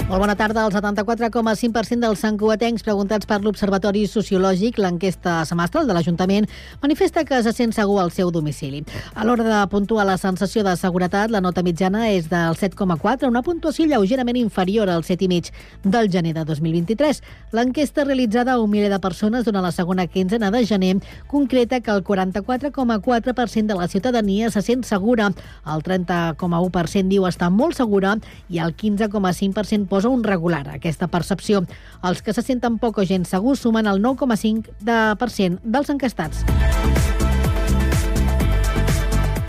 Molt bona tarda. El 74,5% dels santcugatencs preguntats per l'Observatori Sociològic, l'enquesta semestral de l'Ajuntament, manifesta que se sent segur al seu domicili. A l'hora de puntuar la sensació de seguretat, la nota mitjana és del 7,4, una puntuació lleugerament inferior al 7,5 del gener de 2023. L'enquesta realitzada a un miler de persones durant la segona quinzena de gener concreta que el 44,4% de la ciutadania se sent segura, el 30,1% diu estar molt segura i el 15,5% posa un regular a aquesta percepció. Els que se senten poc o gens segurs sumen el 9,5% dels enquestats.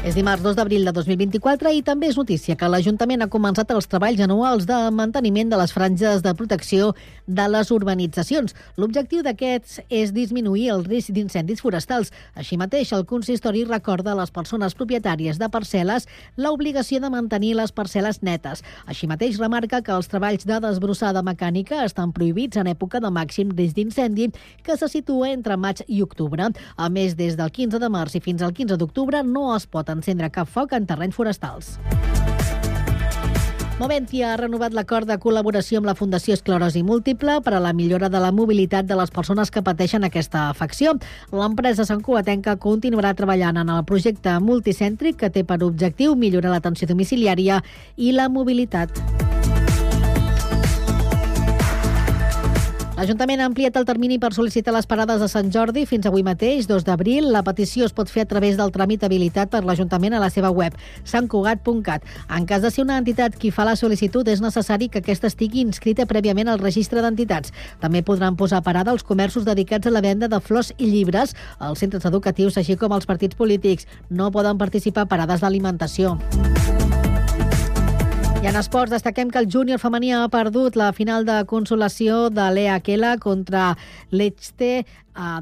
És dimarts 2 d'abril de 2024 i també és notícia que l'Ajuntament ha començat els treballs anuals de manteniment de les franges de protecció de les urbanitzacions. L'objectiu d'aquests és disminuir el risc d'incendis forestals. Així mateix, el consistori recorda a les persones propietàries de parcel·les l'obligació de mantenir les parcel·les netes. Així mateix, remarca que els treballs de desbrossada mecànica estan prohibits en època de màxim risc d'incendi, que se situa entre maig i octubre. A més, des del 15 de març i fins al 15 d'octubre no es pot encendre cap foc en terrenys forestals. Moventi ha renovat l'acord de col·laboració amb la Fundació Esclerosi Múltiple per a la millora de la mobilitat de les persones que pateixen aquesta afecció. L'empresa santcugatenca continuarà treballant en el projecte multicèntric que té per objectiu millorar l'atenció domiciliària i la mobilitat. L'Ajuntament ha ampliat el termini per sol·licitar les parades de Sant Jordi fins avui mateix, 2 d'abril. La petició es pot fer a través del tràmit habilitat per l'Ajuntament a la seva web, santcugat.cat. En cas de ser una entitat qui fa la sol·licitud, és necessari que aquesta estigui inscrita prèviament al registre d'entitats. També podran posar parada els comerços dedicats a la venda de flors i llibres, els centres educatius, així com els partits polítics. No poden participar parades d'alimentació. I en esports destaquem que el júnior femení ha perdut la final de consolació de Lea Kela contra l'Echte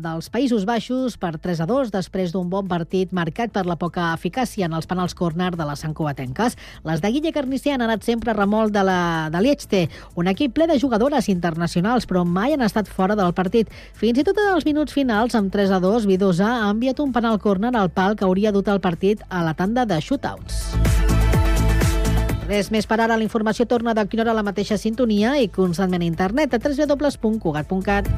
dels Països Baixos per 3-2 després d'un bon partit marcat per la poca eficàcia en els penals córner de les santcugatenques. Les de Guille Carnicer han anat sempre a remolc de l'Echte, un equip ple de jugadores internacionals, però mai han estat fora del partit. Fins i tot en els minuts finals, amb 3-2, Vidosa ha enviat un penal córner al pal que hauria dut el partit a la tanda de shootouts. Res més per ara. La informació torna de quina hora a la mateixa sintonia i constantment a internet a www.cugat.cat.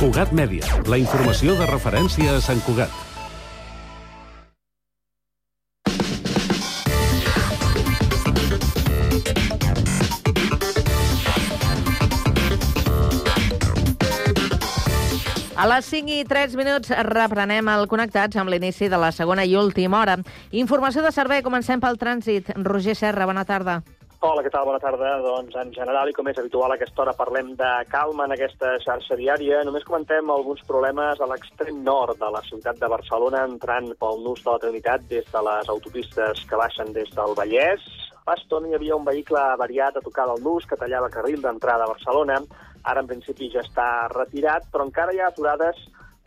Cugat Mèdia, la informació de referència a Sant Cugat. A les 5:03 reprenem el Connectats amb l'inici de la segona i última hora. Informació de servei, comencem pel trànsit. Roger Serra, bona tarda. Hola, què tal? Bona tarda. Doncs en general, i com és habitual a aquesta hora, parlem de calma en aquesta xarxa viària. Només comentem alguns problemes a l'extrem nord de la ciutat de Barcelona, entrant pel nus de la Trinitat des de les autopistes que baixen des del Vallès. Fa estona hi havia un vehicle avariat a tocar del nus que tallava carril d'entrada a Barcelona. Ara, en principi, ja està retirat, però encara hi ha aturades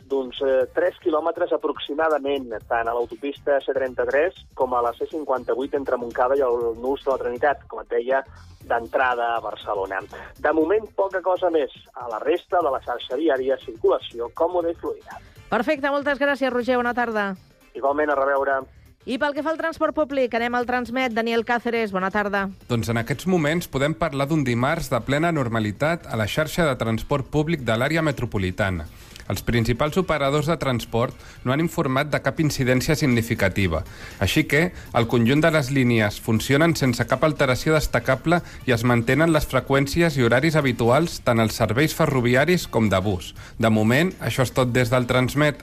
d'uns 3 quilòmetres aproximadament, tant a l'autopista C33 com a la C58 entre Montcada i el nus de la Trinitat, com et deia, d'entrada a Barcelona. De moment, poca cosa més. A la resta de la xarxa viària, circulació còmoda i fluida. Perfecte, moltes gràcies, Roger. Bona tarda. Igualment, a reveure. I pel que fa al transport públic, anem al Transmet. Daniel Cáceres, bona tarda. Doncs en aquests moments podem parlar d'un dimarts de plena normalitat a la xarxa de transport públic de l'àrea metropolitana. Els principals operadors de transport no han informat de cap incidència significativa. Així que el conjunt de les línies funcionen sense cap alteració destacable i es mantenen les freqüències i horaris habituals tant als serveis ferroviaris com de bus. De moment, això és tot des del Transmet.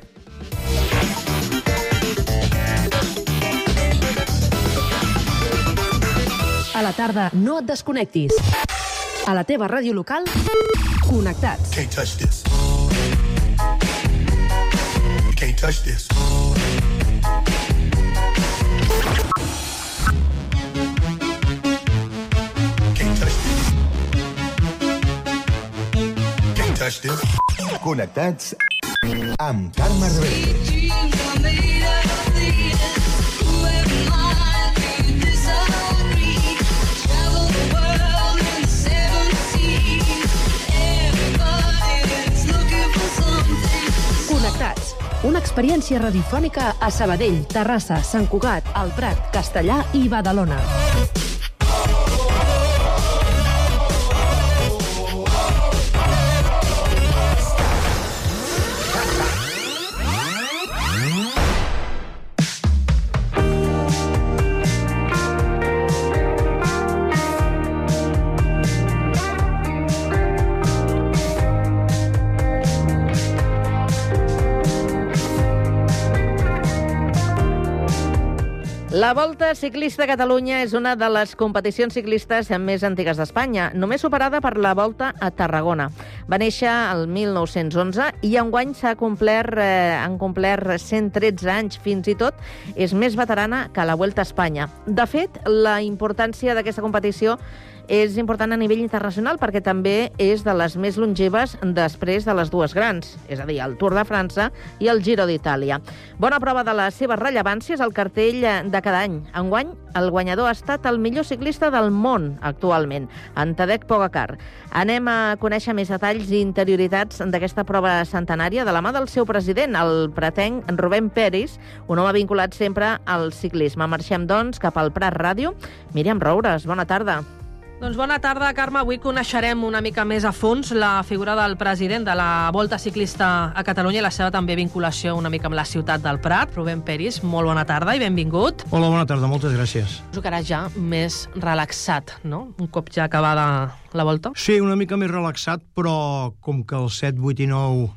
A la tarda, no et desconnectis. A la teva ràdio local, Connectats. Can't touch this. Can't touch this. Can't touch this. Can't touch this. Connectats amb Carme Rebell. Connectats Una experiència radiofònica a Sabadell, Terrassa, Sant Cugat, El Prat, Castellà i Badalona. La Volta Ciclista a Catalunya és una de les competicions ciclistes més antigues d'Espanya, només superada per la Volta a Tarragona. Va néixer el 1911 i enguany han complert 113 anys. Fins i tot és més veterana que la Vuelta a Espanya. De fet, la importància d'aquesta competició és important a nivell internacional perquè també és de les més longeves després de les dues grans, és a dir, el Tour de França i el Giro d'Itàlia. Bona prova de la seva rellevància és el cartell de cada any. Enguany, el guanyador ha estat el millor ciclista del món actualment, en Tadej Pogačar. Anem a conèixer més detalls i interioritats d'aquesta prova centenària de la mà del seu president, el pratenc Rubén Peris, un home vinculat sempre al ciclisme. Marxem, doncs, cap al Prat Ràdio. Míriam Roures, bona tarda. Doncs bona tarda, Carme. Avui coneixerem una mica més a fons la figura del president de la Volta Ciclista a Catalunya i la seva també vinculació una mica amb la ciutat del Prat, Rubén Peris. Molt bona tarda i benvingut. Hola, bona tarda, moltes gràcies. Suposo que ara ja més relaxat, no? Un cop ja acabada la Volta. Sí, una mica més relaxat, però com que el 7, 8 i 9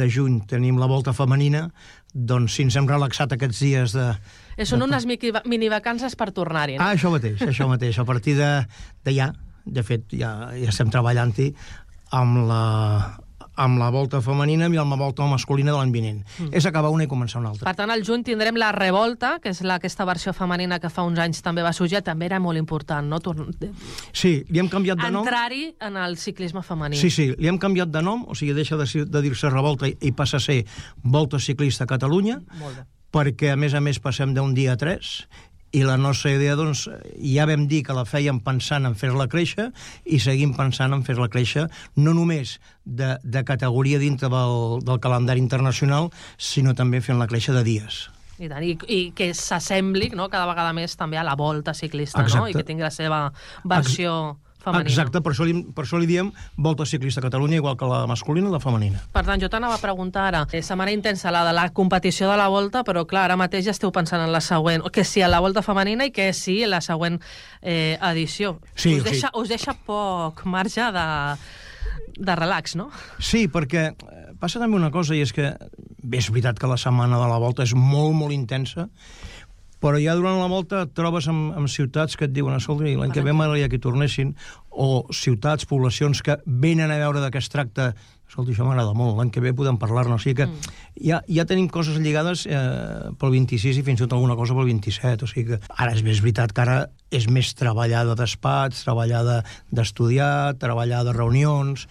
de juny tenim la Volta femenina, doncs si ens hem relaxat aquests dies de... Són unes minivacances per tornar-hi, no? Ah, això mateix. A partir de ja, de fet, ja estem treballant-hi amb la Volta femenina i amb la Volta masculina de l'any vinent. És acabar una i començar una altra. Per tant, al juny tindrem la Revolta, que és aquesta versió femenina que fa uns anys també va sorgir, també era molt important, no? Sí, li hem canviat de nom. Entrar-hi en el ciclisme femení. Sí, li hem canviat de nom, o sigui, deixa de dir-se Revolta i passa a ser Volta Ciclista a Catalunya, perquè, a més, passem d'un dia a 3, i la nostra idea, doncs, ja vam dir que la fèiem pensant en fer-la créixer i seguim pensant en fer-la créixer no només de categoria dintre del calendari internacional, sinó també fent-la créixer de dies. I tant, i que s'assembli, no?, cada vegada més també a la Volta Ciclista, no?, i que tingui la seva versió femenina. Exacte, per això li diem Volta Ciclista a Catalunya, igual que la masculina i la femenina. Per tant, jo t'anava a preguntar ara, setmana intensa la de la competició de la Volta, però clar, ara mateix ja esteu pensant en la següent, que sí a la Volta femenina i que sí a la següent edició. Sí, us deixa poc marge de relax, no? Sí, perquè passa també una cosa, i és que bé, és veritat que la setmana de la Volta és molt, molt intensa, però ja durant la Volta et trobes amb ciutats que et diuen, escolta, l'any que ve m'agradaria que hi tornessin, o ciutats, poblacions que venen a veure de què es tracta, escolta, això m'agrada molt, l'any que ve podem parlar-ne, o sigui que ja tenim coses lligades pel 26 i fins i tot alguna cosa pel 27, o sigui que ara és veritat que ara és més treballar de despatx, treballar d'estudiar, treballar de reunions,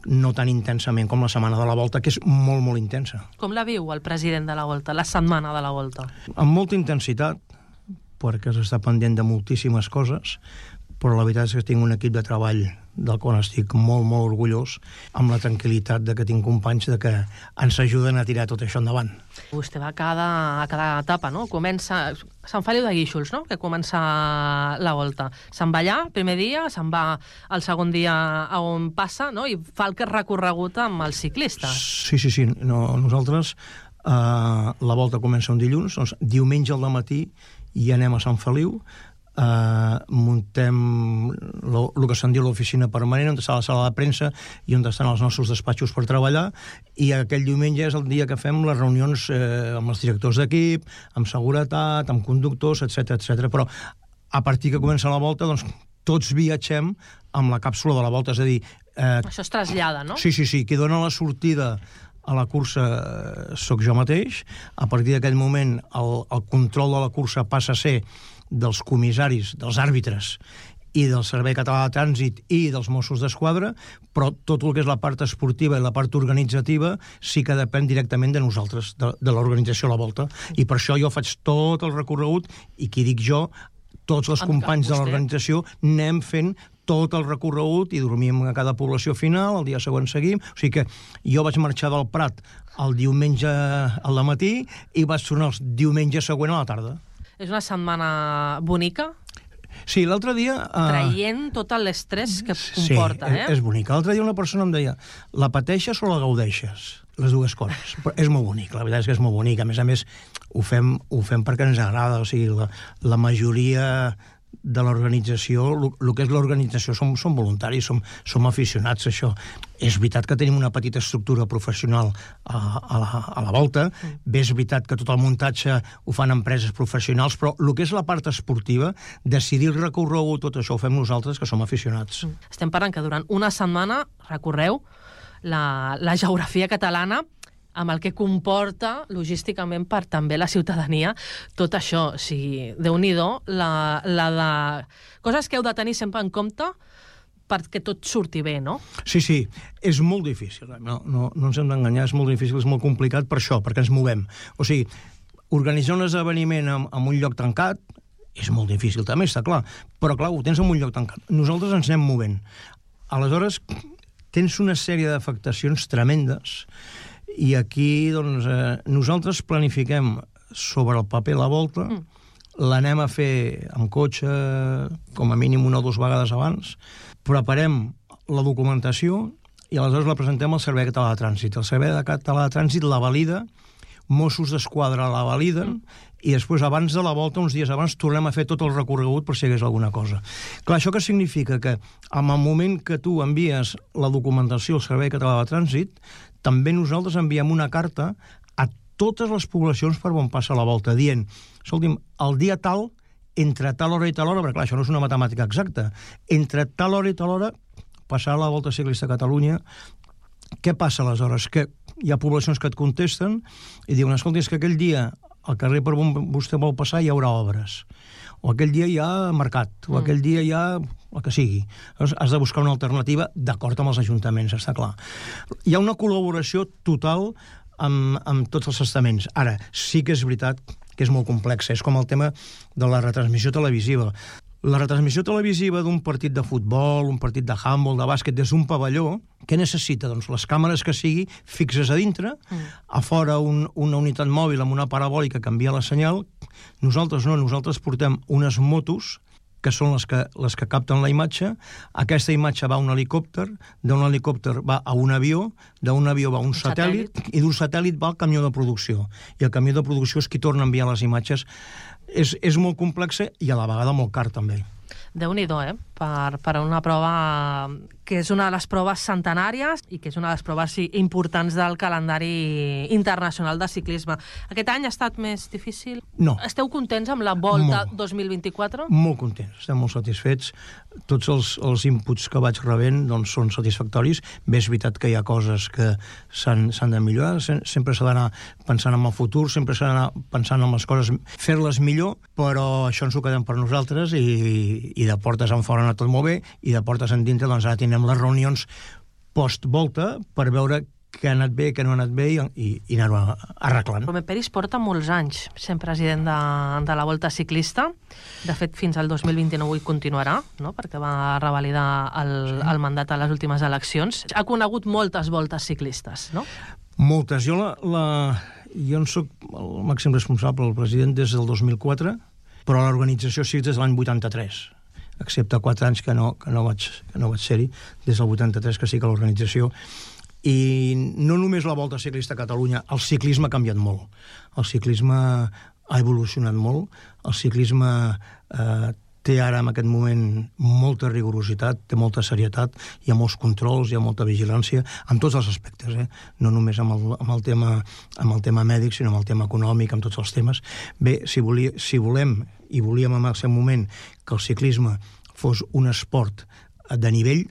no tan intensament com la setmana de la Volta, que és molt, molt intensa. Com la viu el president de la Volta, la setmana de la Volta? Amb molta intensitat, perquè s'està pendent de moltíssimes coses, però la veritat és que tinc un equip de treball del qual estic molt, molt orgullós, amb la tranquil·litat de que tinc companys de que ens ajuden a tirar tot això endavant. Vostè va a cada etapa, no? Comença... Sant Feliu de Guíxols, no?, que comença la Volta. Se'n va allà, primer dia, se'n va el segon dia a on passa, no?, i fa el que és recorregut amb el ciclista. Sí. Nosaltres, la Volta comença un dilluns, doncs diumenge al matí i anem a Sant Feliu, muntem el que se'n diu l'oficina permanent, on està la sala de premsa i on estan els nostres despatxos per treballar, i aquell diumenge és el dia que fem les reunions amb els directors d'equip, amb seguretat, amb conductors, etc. Però a partir que comença la Volta, doncs tots viatgem amb la càpsula de la Volta, és a dir... Això es trasllada, no? Sí, qui dona la sortida a la cursa sóc jo mateix. A partir d'aquell moment el control de la cursa passa a ser dels comissaris, dels àrbitres i del Servei Català de Trànsit i dels Mossos d'Esquadra, però tot el que és la part esportiva i la part organitzativa sí que depèn directament de nosaltres, de l'organització de la Volta. I per això jo faig tot el recorregut i qui dic jo, tots els companys de l'organització anem fent tot el recorregut i dormíem a cada població final, el dia següent seguim. O sigui que jo vaig marxar del Prat el diumenge al matí i vaig tornar el diumenge següent a la tarda. És una setmana bonica? Sí, l'altre dia... Traient tot l'estrès que comporta, Sí, és bonica. L'altre dia una persona em deia, la pateixes o la gaudeixes? Les dues coses. Però és molt bonic, la veritat és que és molt bonic. A més, ho fem perquè ens agrada. O sigui, la majoria de l'organització, el que és l'organització, som voluntaris, som aficionats a això. És veritat que tenim una petita estructura professional a la volta, bé és veritat que tot el muntatge ho fan empreses professionals, però el que és la part esportiva, decidir el recorregut, tot això ho fem nosaltres, que som aficionats. Estem parlant que durant una setmana recorreu la geografia catalana amb el que comporta logísticament per també la ciutadania tot això. O sigui, Déu-n'hi-do, la de coses que heu de tenir sempre en compte perquè tot surti bé, no? Sí, és molt difícil. No ens hem d'enganyar, és molt difícil, és molt complicat per això, perquè ens movem. O sigui, organitzar un esdeveniment en un lloc tancat és molt difícil, també està clar. Però, clar, ho tens en un lloc tancat. Nosaltres ens anem movent. Aleshores, tens una sèrie d'afectacions tremendes i aquí, doncs, nosaltres planifiquem sobre el paper la volta, l'anem a fer amb cotxe com a mínim 1 o 2 vegades abans, preparem la documentació i aleshores la presentem al Servei Català de Trànsit. El Servei Català de Trànsit la valida, Mossos d'Esquadra la validen i després, abans de la volta, uns dies abans, tornem a fer tot el recorregut per si hi hagués alguna cosa. Clar, això què significa? Que en el moment que tu envies la documentació al Servei Català de Trànsit, també nosaltres enviem una carta a totes les poblacions per on passa la volta, dient, escolti'm, el dia tal, entre tal hora i tal hora, perquè clar, això no és una matemàtica exacta, entre tal hora i tal hora passarà la Volta Ciclista a Catalunya. Què passa aleshores? Que hi ha poblacions que et contesten i diuen, escolta, és que aquell dia al carrer per on vostè vol passar hi haurà obres, o aquell dia hi ha mercat, o aquell dia hi ha el que sigui. Llavors, has de buscar una alternativa d'acord amb els ajuntaments, està clar. Hi ha una col·laboració total amb tots els estaments. Ara, sí que és veritat que és molt complex, és com el tema de la retransmissió televisiva. La retransmissió televisiva d'un partit de futbol, un partit de handball, de bàsquet, des d'un pavelló, què necessita? Doncs les càmeres que sigui fixes a dintre, a fora una unitat mòbil amb una parabòlica que envia la senyal. Nosaltres no, nosaltres portem unes motos que són les que capten la imatge. Aquesta imatge va a un helicòpter, d'un helicòpter va a un avió, d'un avió va a un satèl·lit, i d'un satèl·lit va al camió de producció. I el camió de producció és qui torna a enviar les imatges. És molt complexa i a la vegada molt car, també. Déu-n'hi-do, per una prova que és una de les proves centenàries i que és una de les proves importants del calendari internacional de ciclisme. Aquest any ha estat més difícil? No. Esteu contents amb la Volta 2024? Molt contents, estem molt satisfets. Tots els inputs que vaig rebent doncs, són satisfactoris. Bé, és veritat que hi ha coses que s'han de millorar, sempre s'ha d'anar pensant en el futur, sempre s'ha d'anar pensant en les coses, fer-les millor, però això ens ho quedem per nosaltres i de portes en fora ha anat tot molt bé i de portes en dintre doncs ara tindrem les reunions post-volta per veure què ha anat bé, què no ha anat bé i anar-ho arreglant. Romain Peris porta molts anys sent president de la Volta Ciclista. De fet, fins al 2029 hi continuarà, no? Perquè va revalidar el mandat a les últimes eleccions. Ha conegut moltes voltes ciclistes, no? Moltes. Jo en soc el màxim responsable, el president, des del 2004, però l'organització sí des de l'any 83, excepte 4 anys que no vaig ser-hi, des del 83 que sí que l'organització. I no només la Volta Ciclista a Catalunya, el ciclisme ha canviat molt. El ciclisme ha evolucionat molt, el ciclisme té ara en aquest moment molta rigorositat, té molta serietat, hi ha molts controls, hi ha molta vigilància, en tots els aspectes, no només amb el tema mèdic, sinó amb el tema econòmic, amb tots els temes. Bé, si volem, i volíem en el seu moment, que el ciclisme fos un esport de nivell,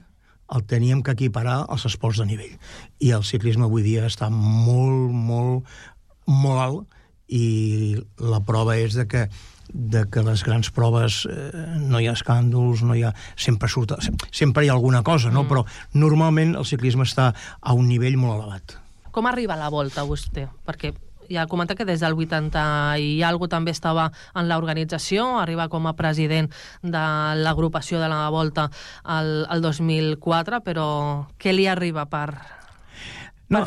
el teníem que equiparar als esports de nivell. I el ciclisme avui dia està molt, molt, molt alt, i la prova és de que les grans proves no hi ha escàndols, no hi ha... sempre hi ha alguna cosa, no? Però normalment el ciclisme està a un nivell molt elevat. Com arriba a la Volta, vostè? Perquè ja comentar que des del 80 i alguna també estava en l'organització, arriba com a president de l'agrupació de la Volta el 2004, però què li arriba per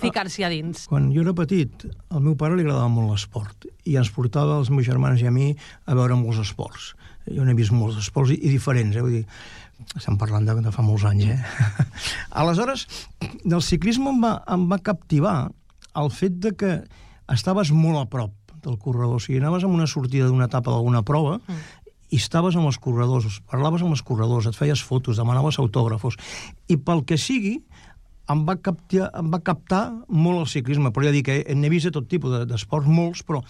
ficar-s'hi a dins? Quan jo era petit, al meu pare li agradava molt l'esport i ens portava els meus germans i a mi a veure molts esports. Jo n'he vist molts esports i diferents, vull dir, estem parlant de fa molts anys, Aleshores, del ciclisme em va captivar el fet de que estaves molt a prop del corredor. O sigui, anaves amb una sortida d'una etapa d'alguna prova i estaves amb els corredors, parlaves amb els corredors, et feies fotos, demanaves autògrafos. I pel que sigui, em va captar molt el ciclisme. Però ja dic que n'he vist de tot tipus d'esports, molts, però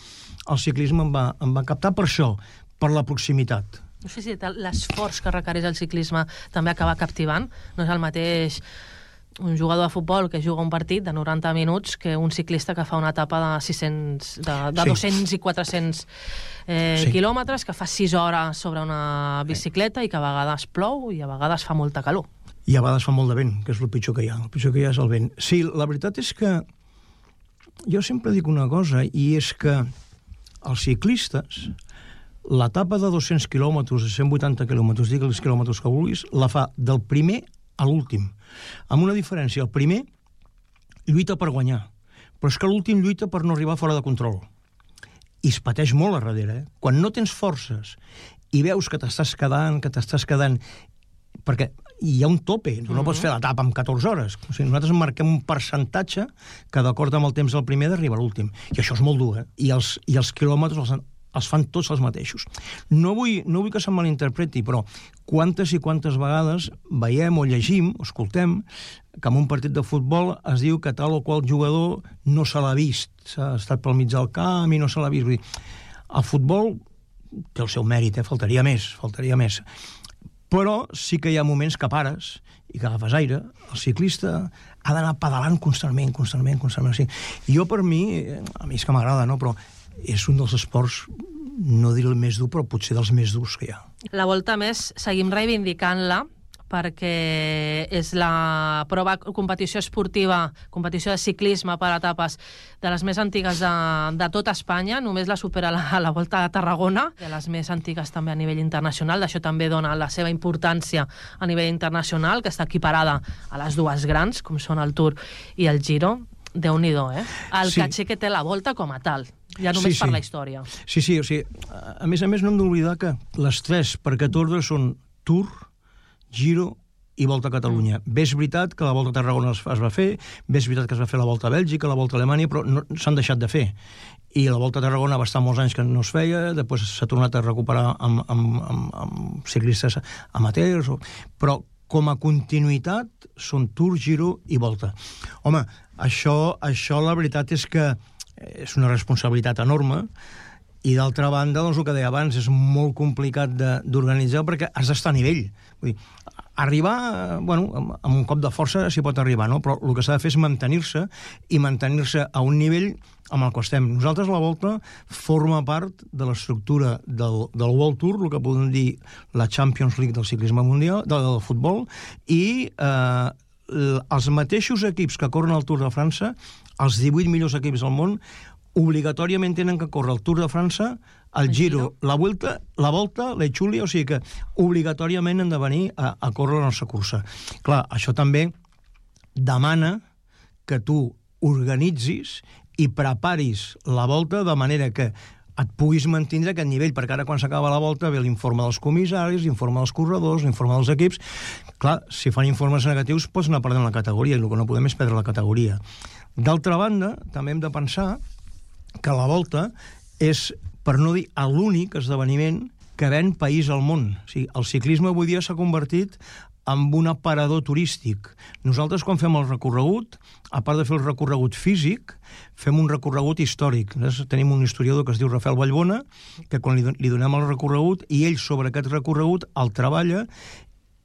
el ciclisme em va captar per això, per la proximitat. No sé si l'esforç que requereix el ciclisme també acaba captivant. No és el mateix un jugador de futbol que juga un partit de 90 minuts que un ciclista que fa una etapa de 200 i 400 quilòmetres, que fa 6 hores sobre una bicicleta i que a vegades plou i a vegades fa molta calor. I a vegades fa molt de vent, que és el pitjor que hi ha. El pitjor que hi ha és el vent. Sí, la veritat és que jo sempre dic una cosa, i és que els ciclistes, l'etapa de 200 quilòmetres, de 180 quilòmetres, digues els quilòmetres que vulguis, la fa del primer a l'últim. Amb una diferència, el primer lluita per guanyar, però és que l'últim lluita per no arribar fora de control. I es pateix molt a darrere, Quan no tens forces i veus que t'estàs quedant, perquè hi ha un tope, no pots fer l'etapa en 14 hores. O sigui, nosaltres marquem un percentatge que, d'acord amb el temps del primer, d'arribar a l'últim. I això és molt dur, I els quilòmetres els fan tots els mateixos. No vull que se'm malinterpreti, però quantes i quantes vegades veiem o llegim, o escoltem, que en un partit de futbol es diu que tal o qual jugador no se l'ha vist, s'ha estat pel mig del camp i no se l'ha vist. Vull dir, el futbol té el seu mèrit, faltaria més. Però sí que hi ha moments que pares i que agafes aire. El ciclista ha d'anar pedalant constantment. Sí. Jo, per mi, a mi és que m'agrada, però és un dels esports, no diré el més dur, però potser dels més durs que hi ha. La Volta, més, seguim reivindicant-la perquè és la competició esportiva, competició de ciclisme per etapes de les més antigues de tot Espanya. Només la supera la Volta de Tarragona, de les més antigues també a nivell internacional. D'això també dona la seva importància a nivell internacional, que està equiparada a les dues grans, com són el Tour i el Giro. Déu-n'hi-do, El caché que té la Volta com a tal, ja només per la història. Sí, o sigui, a més no hem d'oblidar que les tres per aquest ordre són Tour, Giro i Volta a Catalunya. Bé, és veritat que la Volta a Tarragona es va fer, bé, és veritat que es va fer la Volta a Bèlgica, la Volta a Alemanya, però no s'han deixat de fer. I la Volta a Tarragona va estar molts anys que no es feia, després s'ha tornat a recuperar amb ciclistes amateurs, però com a continuïtat són Tour, Giro i Volta. Home, això la veritat és que és una responsabilitat enorme, i d'altra banda, doncs el que deia abans, és molt complicat d'organitzar perquè has d'estar a nivell. Vull dir, arribar, amb un cop de força s'hi pot arribar, però el que s'ha de fer és mantenir-se a un nivell amb el que estem. Nosaltres, la Volta, forma part de l'estructura del World Tour, el que podem dir la Champions League del ciclisme mundial, del futbol, i els mateixos equips que corren el Tour de França, els 18 millors equips del món, obligatòriament tenen que córrer el Tour de França, el Giro, la Volta, l'Etxulia, o sigui que obligatòriament han de venir a córrer la nostra cursa. Clar, això també demana que tu organitzis i preparis la Volta de manera que et puguis mantenir aquest nivell, perquè ara quan s'acaba la Volta ve l'informe dels comissaris, l'informe dels corredors, l'informe dels equips. Clar, si fan informes negatius pots anar perdent la categoria, i el que no podem és perdre la categoria. D'altra banda, també hem de pensar que la Volta és, per no dir l'únic esdeveniment que ven país al món. O sigui, el ciclisme avui dia s'ha convertit en un aparador turístic. Nosaltres, quan fem el recorregut, a part de fer el recorregut físic, fem un recorregut històric. Tenim un historiador que es diu Rafael Vallbona, que quan li donem el recorregut, i ell sobre aquest recorregut el treballa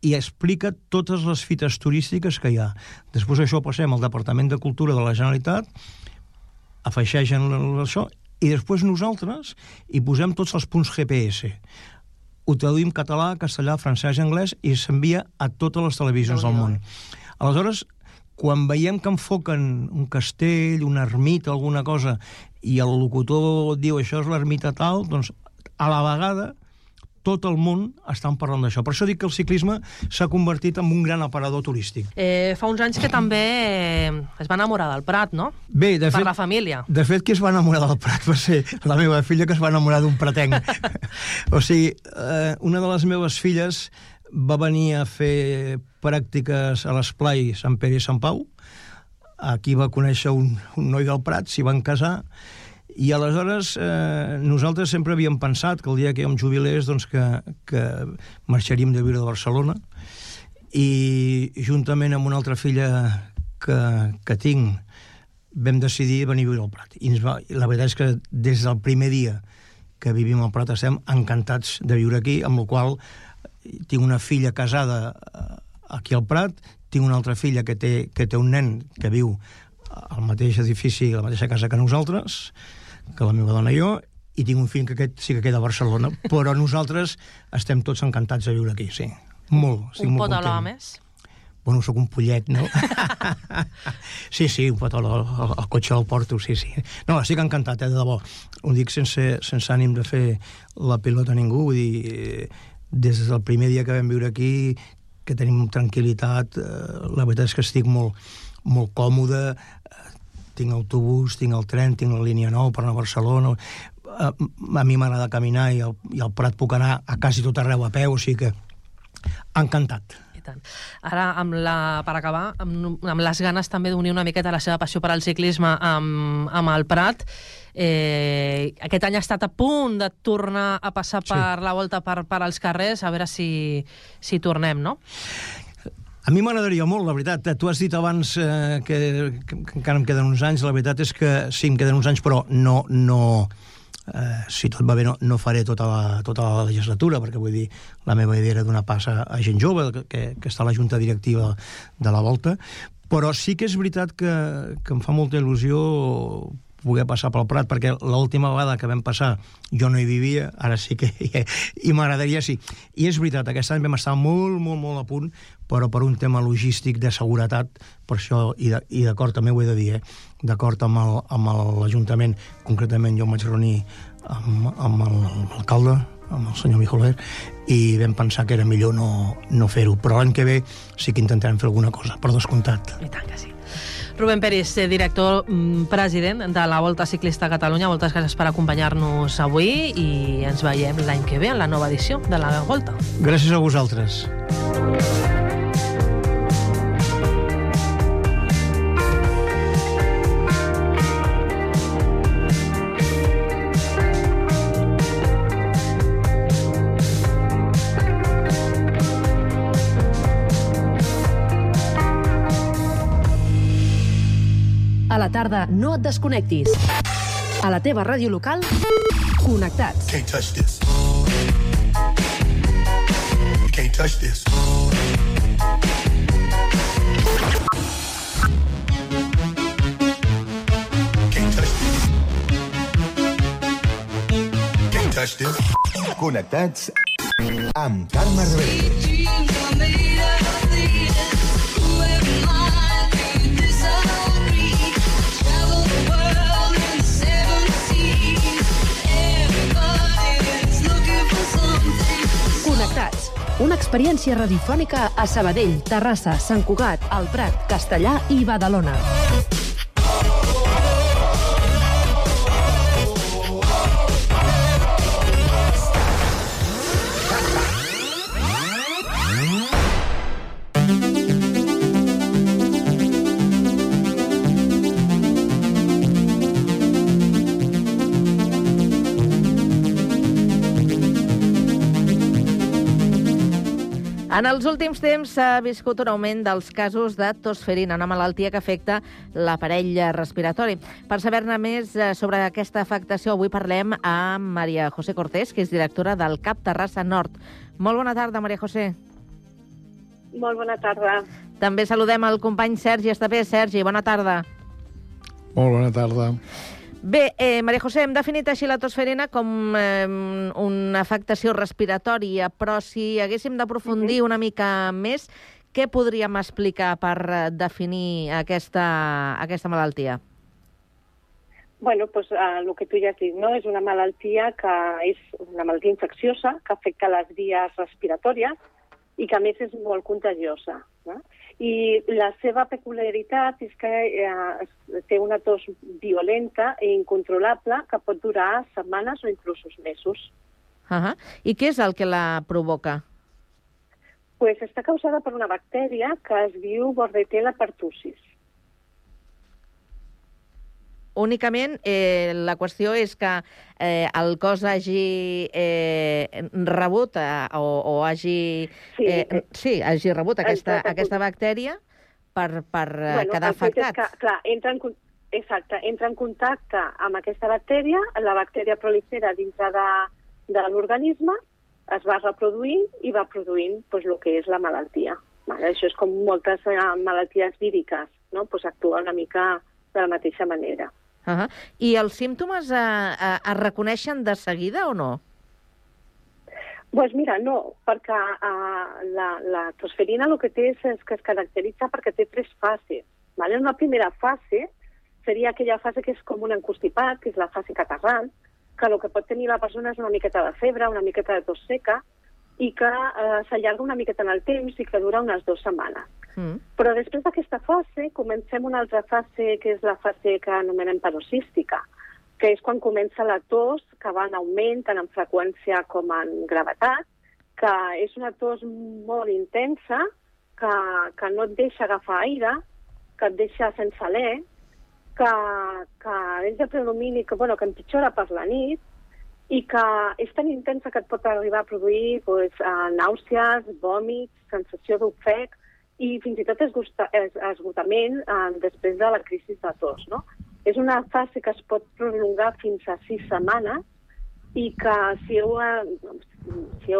i explica totes les fites turístiques que hi ha. Després això passem al Departament de Cultura de la Generalitat, afegeixen això, i després nosaltres hi posem tots els punts GPS. Ho traduïm català, castellà, francès i anglès i s'envia a totes les televisions del món. Aleshores, quan veiem que enfoquen un castell, una ermita, alguna cosa, i el locutor diu això és l'ermita tal, doncs a la vegada tot el món estan parlant d'això. Per això dic que el ciclisme s'ha convertit en un gran aparador turístic. Fa uns anys que també es va enamorar del Prat, no? Bé, de fet, per la família. De fet, qui es va enamorar del Prat va ser la meva filla, que es va enamorar d'un pratenc. O sigui, una de les meves filles va venir a fer pràctiques a l'esplai Sant Pere i Sant Pau. Aquí va conèixer un noi del Prat, s'hi van casar, i aleshores nosaltres sempre havíem pensat que el dia que jo em jubilés doncs que marxaríem de viure de Barcelona, i juntament amb una altra filla que tinc vam decidir venir a viure al Prat. I la veritat és que des del primer dia que vivim al Prat estem encantats de viure aquí, amb la qual tinc una filla casada aquí al Prat, tinc una altra filla que té un nen que viu al mateix edifici, a la mateixa casa que nosaltres, que la meva dona i jo, i tinc un fill que aquest sí que queda a Barcelona, però nosaltres estem tots encantats de viure aquí, sí. Molt, estic molt content. Un pot alhora més? Bueno, sóc un pollet, no? Sí, un pot alhora, el cotxe el porto, sí. No, estic encantat, de debò. Ho dic sense ànim de fer la pilota a ningú, vull dir, des del primer dia que vam viure aquí, que tenim tranquil·litat, la veritat és que estic molt còmode, tinc autobús, tinc el tren, tinc la línia 9 per anar a Barcelona, a mi m'agrada caminar i al Prat puc anar a quasi tot arreu a peu, o sigui que encantat. Ara, per acabar, amb les ganes també d'unir una miqueta la seva passió per al ciclisme amb el Prat, aquest any ha estat a punt de tornar a passar per la volta per als carrers, a veure si tornem, no? A mi m'agradaria molt, la veritat. Tu has dit abans que encara em queden uns anys. La veritat és que sí, em queden uns anys, però no si tot va bé, no faré tota la legislatura, perquè vull dir, la meva idea era donar pas a gent jove, que està a la junta directiva de la Volta, però sí que és veritat que em fa molta il·lusió poder passar pel Prat, perquè l'última vegada que vam passar jo no hi vivia, ara sí que i m'agradaria, sí. I és veritat, aquest any vam estar molt, molt, molt a punt, però per un tema logístic de seguretat, per això, i d'acord, també ho he de dir, d'acord amb l'Ajuntament, concretament jo em vaig reunir amb l'alcalde, amb el senyor Mijoler, i vam pensar que era millor no fer-ho, però l'any que ve sí que intentarem fer alguna cosa, per descomptat. I tant que sí. Rubén Peris, director president de la Volta Ciclista a Catalunya, moltes gràcies per acompanyar-nos avui i ens veiem l'any que ve en la nova edició de la Volta. Gràcies a vosaltres. A la tarda, no et desconnectis. A la teva ràdio local, connectats. Can't touch this. Can't touch this. Can't touch this. Can't touch this. Connectats amb Carme Rebell. Connectats. Una experiència radiofònica a Sabadell, Terrassa, Sant Cugat, El Prat, Castellar i Badalona. En els últims temps s'ha viscut un augment dels casos de tosferina, una malaltia que afecta l'aparell respiratori. Per saber-ne més sobre aquesta afectació, avui parlem amb Maria José Cortés, que és directora del CAP Terrassa Nord. Molt bona tarda, Maria José. Molt bona tarda. També saludem el company Sergi Estapé. Sergi, bona tarda. Molt bona tarda. Bé, Maria José, hem definit així la tosferina com una afectació respiratòria, però si haguéssim d'aprofundir una mica més, Què podríem explicar per definir aquesta malaltia? Bueno, pues el que tu ja has dit, no? És una malaltia que és una malaltia infecciosa que afecta les vies respiratòries i que a més és molt contagiosa. No? I la seva peculiaritat és que té una tos violenta i incontrolable que pot durar setmanes o inclús mesos. I què és el que la provoca? Pues està causada per una bactèria que es diu Bordetella pertussis. Únicament la qüestió és que el cos hagi rebut o hagi hagi rebut aquesta bactèria per quedar afectat. Clar, entra en contacte amb aquesta bactèria, la bactèria prolifera dintre de l'organisme, es va reproduint i va produint el que és la malaltia. Això és com moltes malalties víriques, actua una mica de la mateixa manera. I els símptomes es reconeixen de seguida o no? Doncs mira, no, perquè la tosferina el que té és que es caracteritza perquè té 3 fases. Una primera fase seria aquella fase que és com un encostipat, que és la fase catarral, que el que pot tenir la persona és una miqueta de febre, una miqueta de tos seca, i que s'allarga una miqueta en el temps i que dura unes 2 setmanes. Però després d'aquesta fase comencem una altra fase, que és la fase que anomenem paroxística, que és quan comença la tos, que va en augment tant en freqüència com en gravetat, que és una tos molt intensa, que no et deixa agafar aire, que et deixa sense alè, que és de predomini, que empitjora per la nit, i que és tan intensa que et pot arribar a produir nàusees, vòmits, sensació d'ofec i fins i tot esgotament després de la crisi de tos. És una fase que es pot prolongar fins a 6 setmanes i que si heu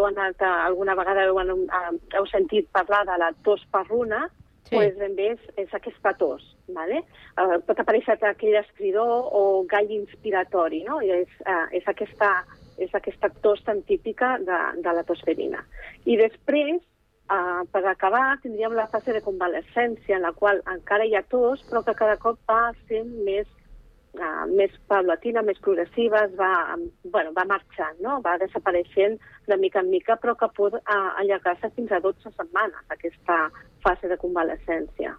anat alguna vegada heu sentit parlar de la tos perruna, ben bé és aquesta tos. Pot aparèixer aquell estridor o gall inspiratori, és aquesta tos tan típica de la tosferina. I després, per acabar, tindríem la fase de convalescència, en la qual encara hi ha tos, però que cada cop va sent més paulatina, més progressiva, va marxant, va desapareixent de mica en mica, però que pot allargar-se fins a 12 setmanes, aquesta fase de convalescència.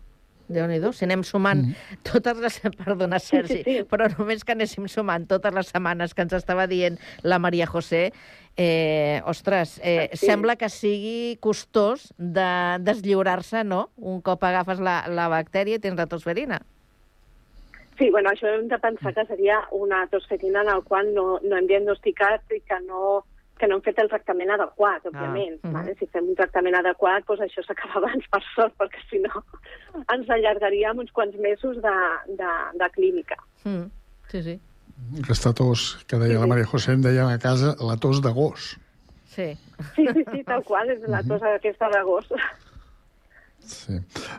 Déu-n'hi-do, si anem sumant totes les... Perdona, Sergi, però només que anéssim sumant totes les setmanes que ens estava dient la Maria José, sembla que sigui costós de deslliurar-se, no? Un cop agafes la bactèria i tens la tosferina. Sí, això hem de pensar que seria una tosferina en la qual no hem diagnosticat i que no hem fet el tractament adequat, òbviament. Si fem un tractament adequat, això s'acaba abans, per sort, perquè si no ens allargaríem uns quants mesos de clínica. Sí. Aquesta tos que deia la Maria José, em deien a casa la tos de gos. Sí, tal qual, és la tos aquesta de gos. Sí.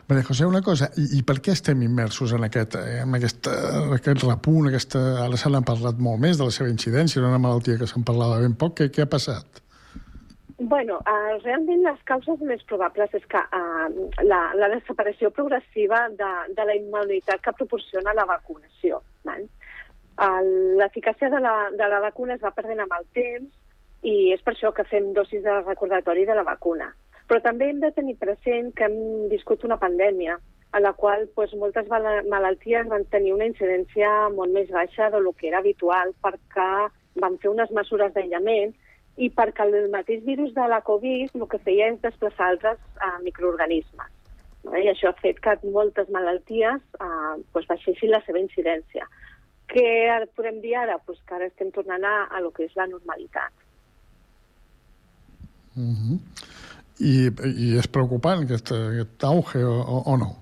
Maria José, una cosa, i per què estem immersos en aquest repunt, ara se n'ha parlat molt més de la seva incidència, era una malaltia que se'n parlava ben poc, què ha passat? Realment les causes més probables és que la desaparició progressiva de la immunitat que proporciona la vacunació. L'eficàcia de la vacuna es va perdent amb el temps i és per això que fem dosis de recordatori de la vacuna. Però també hem de tenir present que hem viscut una pandèmia en la qual moltes malalties van tenir una incidència molt més baixa del que era habitual perquè van fer unes mesures d'aïllament i perquè el mateix virus de la Covid el que feia és desplaçar altres microorganismes. I això ha fet que moltes malalties baixessin la seva incidència. Què podem dir ara? Que ara estem tornant a lo que és la normalitat. I és preocupant aquest auge o no?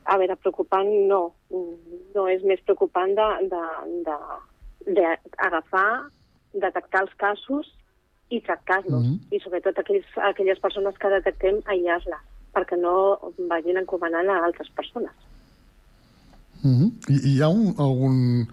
A veure, preocupant no. No és més preocupant d'agafar, detectar els casos i tractar-los. I sobretot aquelles persones que detectem, aïllar-les, perquè no vagin encomanant a altres persones. Hi ha algun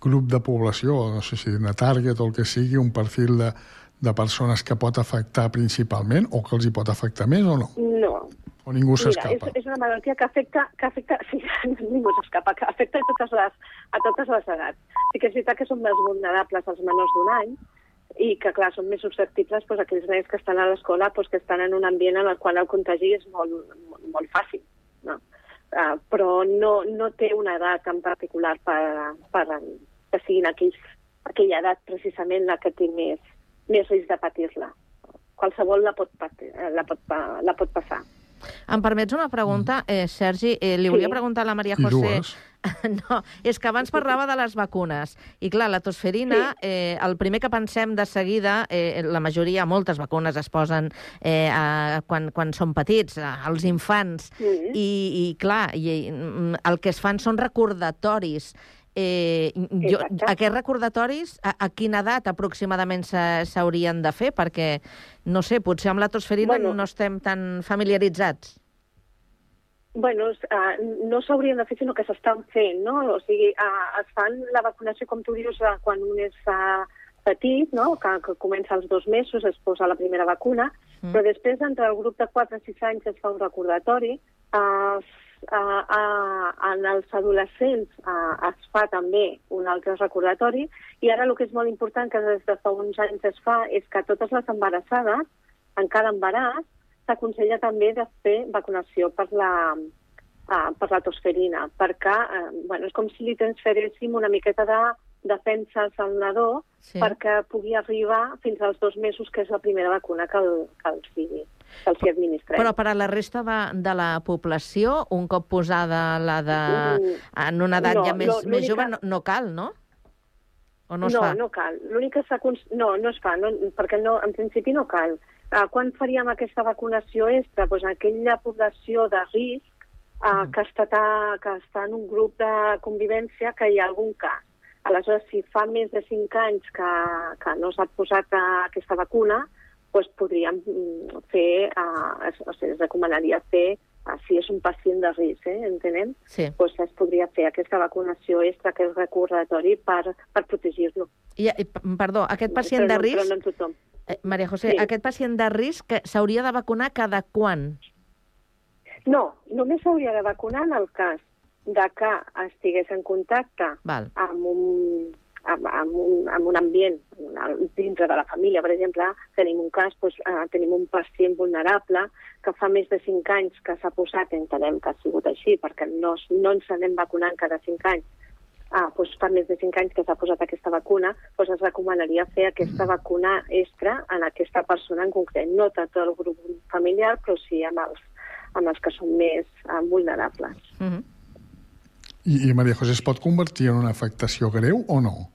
grup de població, no sé si una target o el que sigui, un perfil de persones que pot afectar principalment o que els hi pot afectar més o no? No. O ningú Mira, s'escapa? és una malaltia que afecta sí, ningú s'escapa, que afecta a totes les edats. Sí que és veritat que són més vulnerables els menors d'un any i que, clar, són més susceptibles doncs, aquells nens que estan a l'escola, doncs, que estan en un ambient en el qual el contagi és molt fàcil, no? Però no té una edat en particular per que siguin aquella edat precisament la que té més risc de patir-la. Qualsevol la pot passar. Em permets una pregunta, Sergi? Li volia preguntar a la Maria José... No, és que abans parlava de les vacunes. I clar, la tosferina, el primer que pensem de seguida, la majoria, moltes vacunes es posen quan són petits, als infants, i clar, el que es fan són recordatoris. Aquests recordatoris, a quina edat aproximadament s'haurien de fer? Perquè, no sé, potser amb la tosferina no estem tan familiaritzats. Bueno, no s'haurien de fer, sinó que s'estan fent, no? O sigui, es fan la vacunació, com tu dius, quan un és petit, no? Que comença als 2 mesos, es posa la primera vacuna, però després, entre el grup de 4 a 6 anys, es fa un recordatori. En els adolescents es fa també un altre recordatori, i ara el que és molt important, que des de fa uns anys es fa, és que totes les embarassades, en cada embaràs, s'aconsella també de fer vacunació per la tosferina, perquè és com si li transferéssim una miqueta de defenses al nadó perquè pugui arribar fins als 2 mesos, que és la primera vacuna que els administrem. Però per a la resta de la població, un cop posada en una edat ja més jove, no cal, no? O no es fa? No cal. L'únic que no es fa, perquè en principi no cal. Quan faríem aquesta vacunació extra? Doncs aquella població de risc que està en un grup de convivència que hi ha algun cas. Aleshores, si fa més de 5 anys que no s'ha posat aquesta vacuna, doncs podríem fer, es recomanaria fer, si és un pacient de risc, entenem? Sí. Doncs es podria fer aquesta vacunació extra, aquest recordatori, per protegir-lo. Perdó, aquest pacient de risc... Però no en tothom. Maria José, aquest pacient de risc s'hauria de vacunar cada quan? No, només s'hauria de vacunar en el cas de que estigués en contacte amb un ambient dintre de la família. Per exemple, tenim un cas, tenim un pacient vulnerable que fa més de 5 anys que s'ha posat, entenem que ha sigut així, perquè no ens anem vacunant cada 5 anys, fa més de 5 anys que s'ha posat aquesta vacuna, es recomanaria fer aquesta vacuna extra en aquesta persona en concret. No tot el grup familiar, però sí amb els que són més vulnerables. I Maria José, es pot convertir en una afectació greu o no?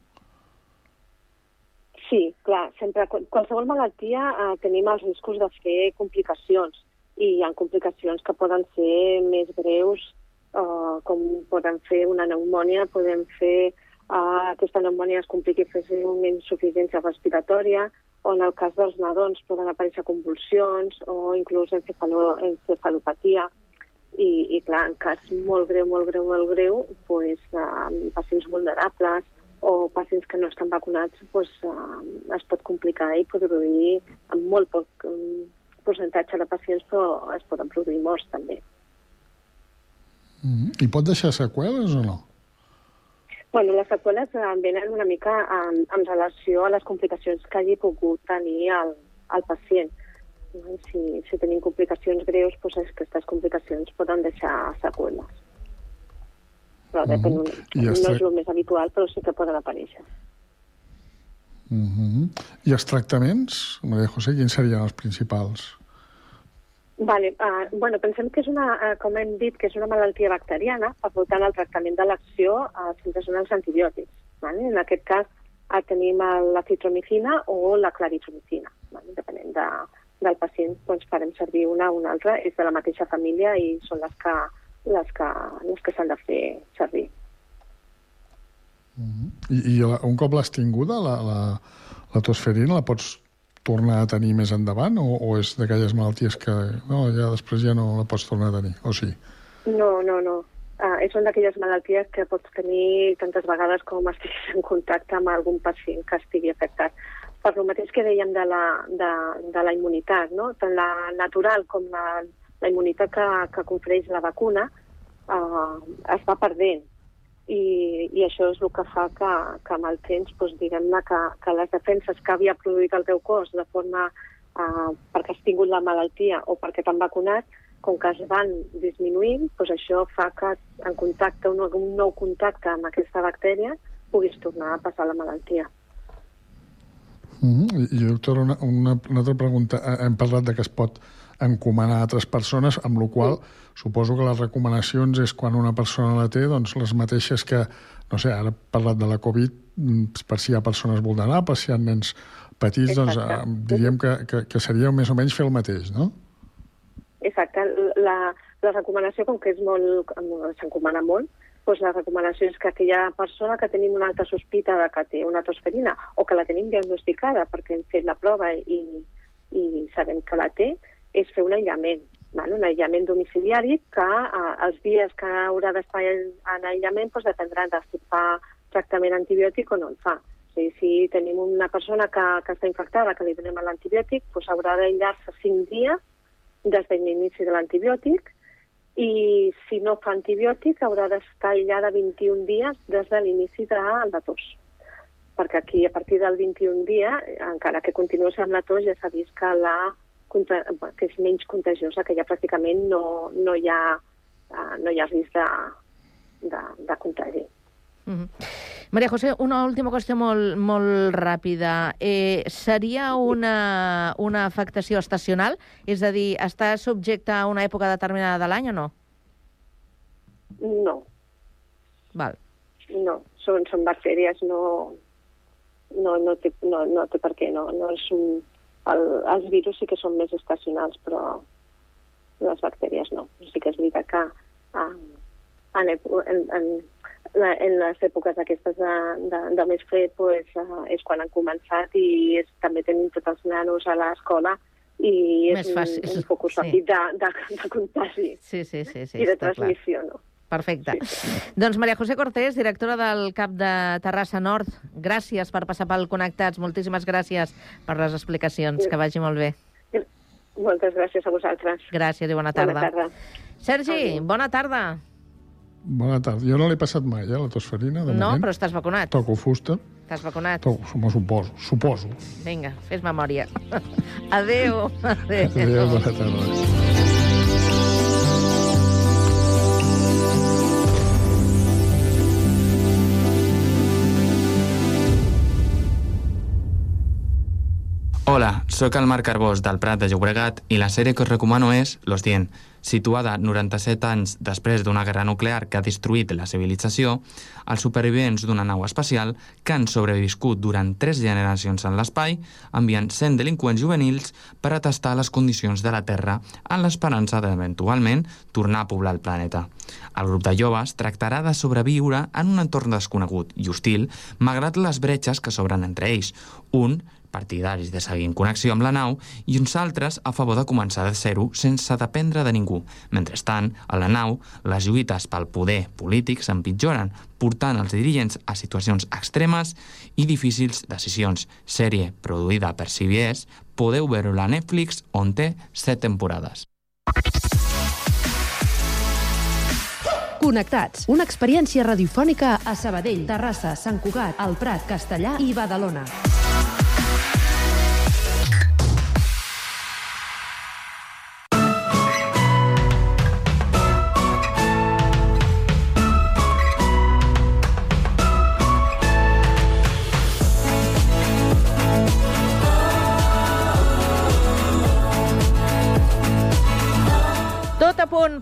Sí, clar. Sempre, qualsevol malaltia tenim els riscos de fer complicacions, i hi ha complicacions que poden ser més greus, com poden fer una pneumònia, podem fer aquesta pneumònia es compliqui fer una insuficiència respiratòria, o en el cas dels nadons poden aparèixer convulsions o inclús encefalopatia. I clar, en cas molt greu, pacients vulnerables o pacients que no estan vacunats, es pot complicar i produir, amb molt poc percentatge de pacients, però es poden produir morts també. I pot deixar seqüeles o no? Bueno, les seqüeles venen una mica en relació a les complicacions que hagi pogut tenir el pacient. Si tenim complicacions greus, aquestes complicacions poden deixar seqüeles. Però depèn, no és el més habitual, però sí que poden aparèixer. I els tractaments, Maria José, quins serien els principals? Pensem que és com hem dit, que és una malaltia bacteriana, per tant el tractament de l'acció sempre són els antibiòtics. En aquest cas tenim l'acitromicina o la claritromicina. Depenent del pacient, farem servir una o una altra, és de la mateixa família i són les que s'han de fer servir. I un cop l'has tinguda, la tosferina, la pots tornar a tenir més endavant o és d'aquelles malalties que ja després ja no la pots tornar a tenir, o sí? No. Són d'aquelles malalties que pots tenir tantes vegades com estiguis en contacte amb algun pacient que estigui afectat. per el mateix que dèiem de la immunitat, no? Tant la natural com la immunitat que confereix la vacuna es va perdent. I això és el que fa que amb el temps, doncs, diguem-ne, que les defenses que havia produït el teu cos de forma perquè has tingut la malaltia o perquè t'han vacunat, com que es van disminuint, doncs això fa que en contacte, un nou contacte amb aquesta bactèria, puguis tornar a passar la malaltia. I, doctora, una altra pregunta. Hem parlat de que es pot encomanar a altres persones, amb la qual suposo que les recomanacions és quan una persona la té, doncs les mateixes que, no sé, ara he parlat de la Covid, per si hi ha persones vulnerables, si hi ha nens petits, doncs diríem que seria més o menys fer el mateix, no? Exacte. La recomanació, com que és molt, s'encomana molt, doncs la recomanació és que aquella persona que tenim una alta sospita de que té una tosferina o que la tenim diagnosticada perquè hem fet la prova i sabem que la té, és fer un aïllament, un aïllament domiciliari que els dies que haurà d'estar en aïllament doncs dependrà de si fa tractament antibiòtic o no el fa. O sigui, si tenim una persona que està infectada, que li donem l'antibiòtic, doncs haurà d'aïllar-se 5 dies des de l'inici de l'antibiòtic, i si no fa antibiòtic haurà d'estar aïllada 21 dies des de l'inici de la tos. Perquè aquí, a partir del 21 dia, encara que continuï amb la tos, ja s'ha vist que és menys contagiosa, que ja pràcticament no hi ha risc de contagi. Maria José, una última qüestió molt ràpida. Seria una afectació estacional? És a dir, està subjecte a una època determinada de l'any o no? No. Val. No, són bactèries, no té per què. Els virus sí que són més estacionals, però les bactèries no. Sí que és veritat que en les èpoques aquestes de més fred és quan han començat i també tenim tots els nanos a l'escola i és un focus ràpid de contagi i de transmissió, no? Perfecte. Doncs Maria José Cortés, directora del CAP de Terrassa Nord, gràcies per passar pel Connectats, moltíssimes gràcies per les explicacions, que vagi molt bé. Moltes gràcies a vosaltres. Gràcies i bona tarda. Bona tarda. Sergi, bona tarda. Bona tarda. Jo no l'he passat mai, la tosferina, de moment. No, però estàs vacunat. Toco fusta. Estàs vacunat? Suposo. Vinga, fes memòria. Adéu. Adéu, bona tarda. Hola, sóc el Marc Arbós del Prat de Llobregat i la sèrie que us recomano és Los 100. Situada 97 anys després d'una guerra nuclear que ha destruït la civilització, els supervivents d'una nau espacial que han sobreviscut durant 3 generacions en l'espai envien 100 delinqüents juvenils per a tastar les condicions de la Terra en l'esperança d'eventualment tornar a poblar el planeta. El grup de joves tractarà de sobreviure en un entorn desconegut i hostil malgrat les bretxes que s'obren entre ells. Un partidaris de seguir en connexió amb la nau i uns altres a favor de començar de zero sense dependre de ningú. Mentrestant, a la nau, les lluites pel poder polític s'empitjoren, portant els dirigents a situacions extremes i difícils decisions. Sèrie produïda per CBS, podeu veure-la a Netflix, on té 7 temporades. Connectats, una experiència radiofònica a Sabadell, Terrassa, Sant Cugat, El Prat, Castellà i Badalona.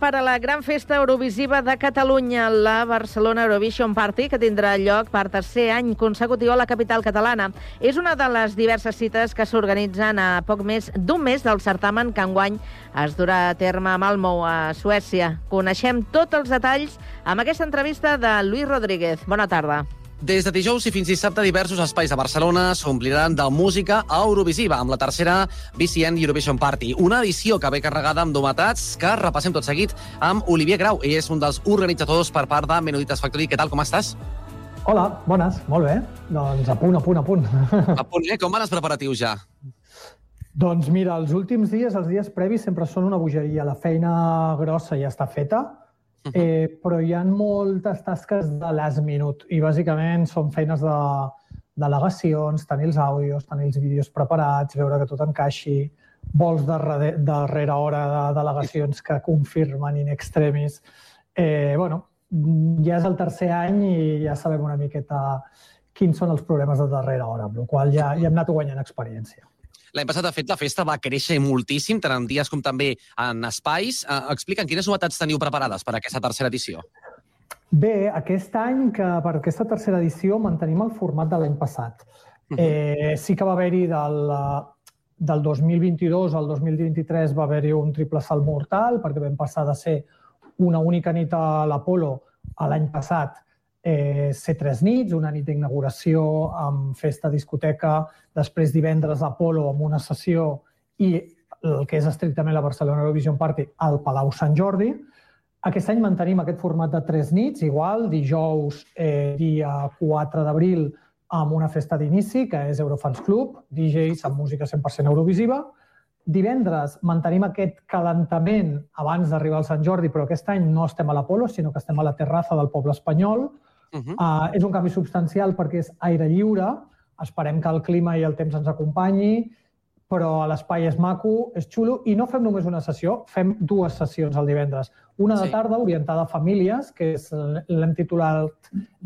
Per a la gran festa eurovisiva de Catalunya, la Barcelona Eurovision Party, que tindrà lloc per 3è any consecutiu a la capital catalana. És una de les diverses cites que s'organitzen a poc més d'un mes del certamen que enguany es durà a terme a Malmö, a Suècia. Coneixem tots els detalls amb aquesta entrevista de Lluís Rodríguez. Bona tarda. Des de dijous i fins dissabte, diversos espais de Barcelona s'ompliran de música eurovisiva amb la tercera BCN Eurovision Party. Una edició que ve carregada amb novetats que repassem tot seguit amb Olivier Grau. Ell és un dels organitzadors per part de Menuditas Factory. Què tal, com estàs? Hola, bones, molt bé. Doncs a punt. A punt, Com van els preparatius ja? Doncs mira, els últims dies, els dies previs, sempre són una bogeria. La feina grossa ja està feta, però hi ha moltes tasques de last minute i bàsicament són feines de delegacions, tenir els àudios, tenir els vídeos preparats, veure que tot encaixi, vols darrere hora de delegacions que confirmen in extremis. Ja és el tercer any i ja sabem una miqueta quins són els problemes de darrera hora, amb la qual cosa ja hem anat guanyant experiència. L'any passat, de fet, la festa va créixer moltíssim, tant en dies com també en espais. Explica'm, quines novetats teniu preparades per a aquesta tercera edició? Bé, aquest any, per aquesta tercera edició, mantenim el format de l'any passat. Sí que va haver-hi del 2022 al 2023 va haver-hi un triple salt mortal, perquè vam passar de ser una única nit a l'Apolo a l'any passat ser 3 nits, una nit d'inauguració amb festa discoteca, després divendres a Apolo amb una sessió i el que és estrictament la Barcelona Eurovision Party al Palau Sant Jordi. Aquest any mantenim aquest format de 3 nits, igual, dijous, dia 4 d'abril, amb una festa d'inici, que és Eurofans Club, DJs amb música 100% eurovisiva. Divendres mantenim aquest calentament abans d'arribar al Sant Jordi, però aquest any no estem a l'Apolo, sinó que estem a la terrassa del poble espanyol. És un canvi substancial perquè és aire lliure, esperem que el clima i el temps ens acompanyi, però l'espai és maco, és xulo, i no fem només una sessió, fem 2 sessions el divendres. Una de tarda orientada a famílies, que l'hem titulat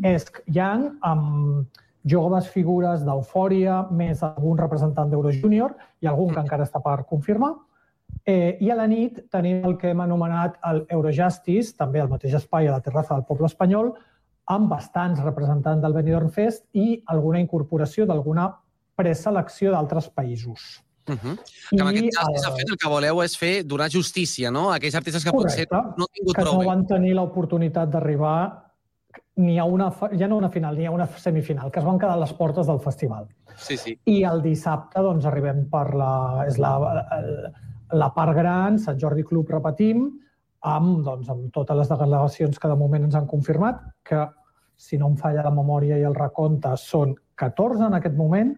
Esc Young, amb joves figures d'Eufòria, més algun representant d'Eurojúnior i algun que encara està per confirmar. I a la nit tenim el que hem anomenat el Eurojustice, també al mateix espai a la terrassa del poble espanyol, amb bastants representants del Benidorm Fest i alguna incorporació d'alguna preselecció d'altres països. Que amb aquest Justice, de fet, el que voleu és donar justícia, no? A aquells artistes que potser no han tingut prou bé. Que no van tenir l'oportunitat d'arribar ja no una final, ni a una semifinal, que es van quedar a les portes del festival. I el dissabte arribem per la part gran, Sant Jordi Club, repetim, amb totes les delegacions que de moment ens han confirmat, que, si no em falla la memòria i el recompte, són 14 en aquest moment,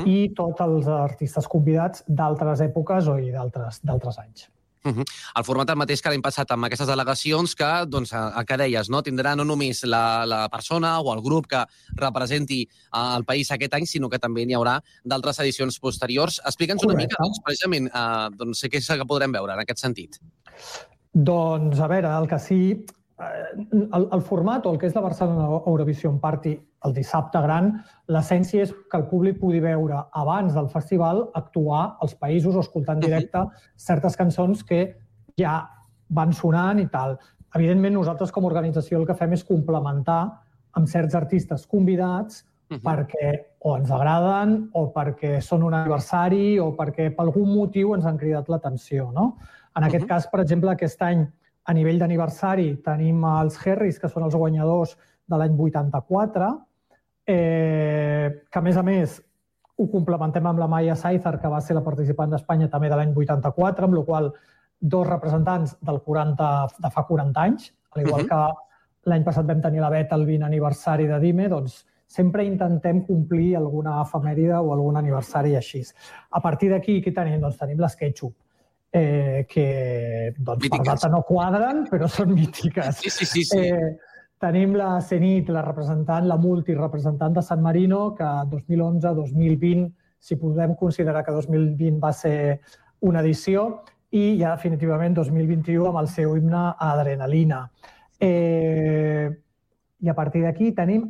i tots els artistes convidats d'altres èpoques o d'altres anys. El format el mateix que l'any passat amb aquestes delegacions que, el que deies, tindrà no només la persona o el grup que representi el país aquest any, sinó que també n'hi haurà d'altres edicions posteriors. Explica'ns una mica, precisament, què és el que podrem veure en aquest sentit. Doncs, a veure, el que sí... El format, o el que és la Barcelona Eurovision Party, el dissabte gran, l'essència és que el públic pugui veure abans del festival actuar als països o escoltar en directe certes cançons que ja van sonant i tal. Evidentment, nosaltres com a organització el que fem és complementar amb certs artistes convidats perquè o ens agraden o perquè són un aniversari o perquè per algun motiu ens han cridat l'atenció. En aquest cas, per exemple, aquest any a nivell d'aniversari tenim els Harrys, que són els guanyadors de l'any 84, que a més ho complementem amb la Maya Saizar, que va ser la participant d'Espanya també de l'any 84, amb la qual cosa 2 representants de fa 40 anys, al igual que l'any passat vam tenir la Bet el 20 aniversari de Dime, doncs sempre intentem complir alguna efemèride o algun aniversari així. A partir d'aquí, què tenim? Doncs tenim les Ketchup, que per data no quadren, però són mítiques. Tenim la Zenit, la multirepresentant de San Marino, que 2011-2020, si podem considerar que 2020 va ser una edició, i ja definitivament 2021 amb el seu himne Adrenalina. I a partir d'aquí tenim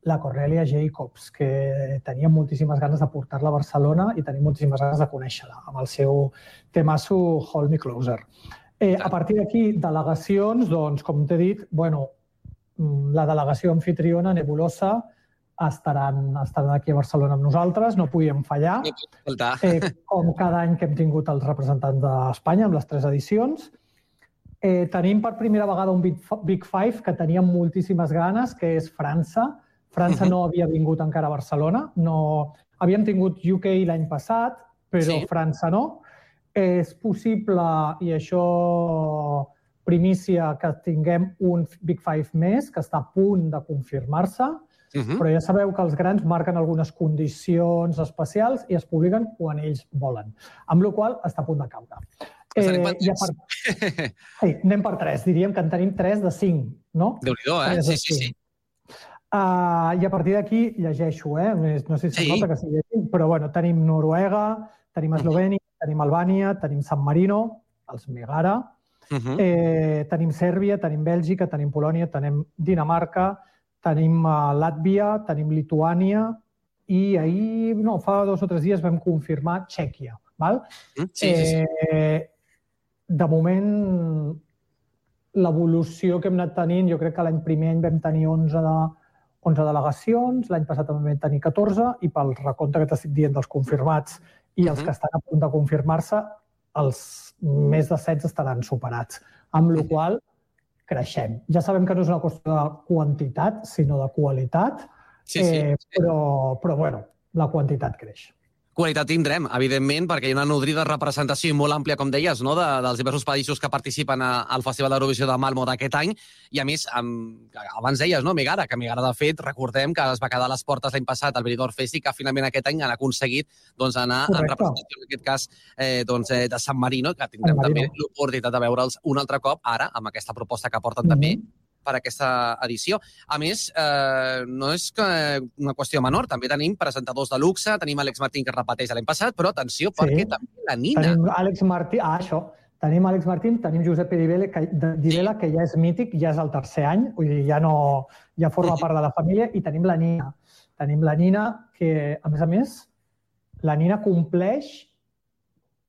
la Cornelia Jacobs, que tenia moltíssimes ganes de portar-la a Barcelona i tenim moltíssimes ganes de conèixer-la, amb el seu temasso Hold Me Closer. A partir d'aquí, delegacions, doncs, com t'he dit, la delegació anfitriona, Nebulosa, estaran aquí a Barcelona amb nosaltres, no podíem fallar, com cada any que hem tingut els representants d'Espanya, amb les 3 edicions. Tenim per primera vegada un Big Five que teníem moltíssimes ganes, que és França. França no havia vingut encara a Barcelona. Havíem tingut UK l'any passat, però França no. És possible, i això primícia, que tinguem un Big Five més, que està a punt de confirmar-se. Però ja sabeu que els grans marquen algunes condicions especials i es publiquen quan ells volen. Amb la qual cosa està a punt de caure. Anem per 3. Diríem que en tenim 3 de 5, no? Déu-n'hi-do, Sí. I a partir d'aquí llegeixo, no sé si es nota que estic llegint, però bueno, tenim Noruega, tenim Eslovènia, tenim Albània, tenim San Marino, els Megara, tenim Sèrbia, tenim Bèlgica, tenim Polònia, tenim Dinamarca, tenim Làtvia, tenim Lituània i ahir, fa 2 o 3 dies vam confirmar Txèquia. De moment, l'evolució que hem anat tenint, jo crec que l'any primer any vam tenir 11 delegacions, l'any passat també vam tenir 14 i pel recompte que t'estic dient dels confirmats i els que estan a punt de confirmar-se, els més de 16 estaran superats. Amb la qual cosa, creixem. Ja sabem que no és una qüestió de quantitat, sinó de qualitat, però bueno, la quantitat creix. Qualitat tindrem, evidentment, perquè hi ha una nodrida representació molt àmplia, com deies, dels diversos països que participen al Festival d'Eurovisió de Malmö d'aquest any. I, a més, abans deies, Megara, que Megara, de fet, recordem que es va quedar a les portes l'any passat al Benidorm Fest i que finalment aquest any han aconseguit anar en representació, en aquest cas, de San Marino, que tindrem també l'oportunitat de veure'ls un altre cop, ara, amb aquesta proposta que porten també per aquesta edició. A més, no és una qüestió menor, també tenim presentadors de luxe, tenim Àlex Martín, que repeteix l'any passat, però atenció, perquè també la Nina. Tenim Àlex Martín, tenim Àlex Martín, tenim Josep Divela, que ja és mític, ja és el 3è any, vull dir, ja forma part de la família, i tenim la Nina. Tenim la Nina, que, a més, la Nina compleix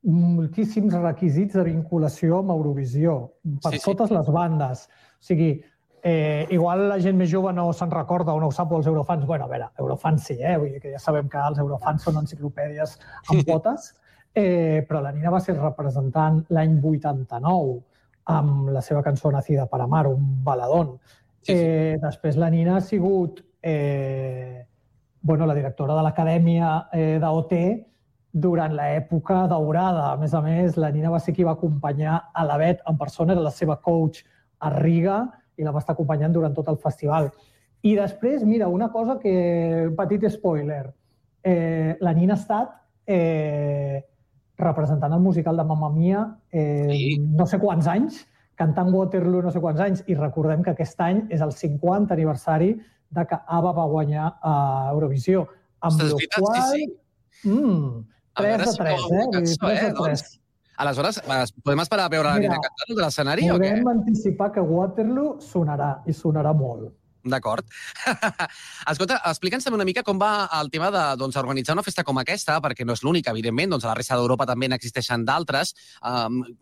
moltíssims requisits de vinculació amb Eurovisió, per totes les bandes. O sigui, igual la gent més jove no se'n recorda o no ho sap, o els eurofans. Bueno, a veure, eurofans sí, vull dir que ja sabem que els eurofans són enciclopèdies amb potes, però la Nina va ser representant l'any 89 amb la seva cançó Nacida para Amar, un baladón. Després la Nina ha sigut la directora de l'Acadèmia d'OT durant l'època daurada. A més, la Nina va ser qui va acompanyar a la Bet en persona, era la seva coach a Riga, i la va estar acompanyant durant tot el festival. I després, mira, una cosa que... petit spoiler. La Nina ha estat representant el musical de Mamma Mia no sé quants anys, cantant Waterloo no sé quants anys, i recordem que aquest any és el 50 aniversari de que ABBA va guanyar a Eurovisió. Amb la qual... 3 de 3, 3 de 3. Aleshores, podem esperar a veure la Nina cantant de l'escenari o què? Podem anticipar que Waterloo sonarà, i sonarà molt. D'acord. Escolta, explica'ns també una mica com va el tema d'organitzar una festa com aquesta, perquè no és l'única, evidentment, a la resta d'Europa també n'existeixen d'altres.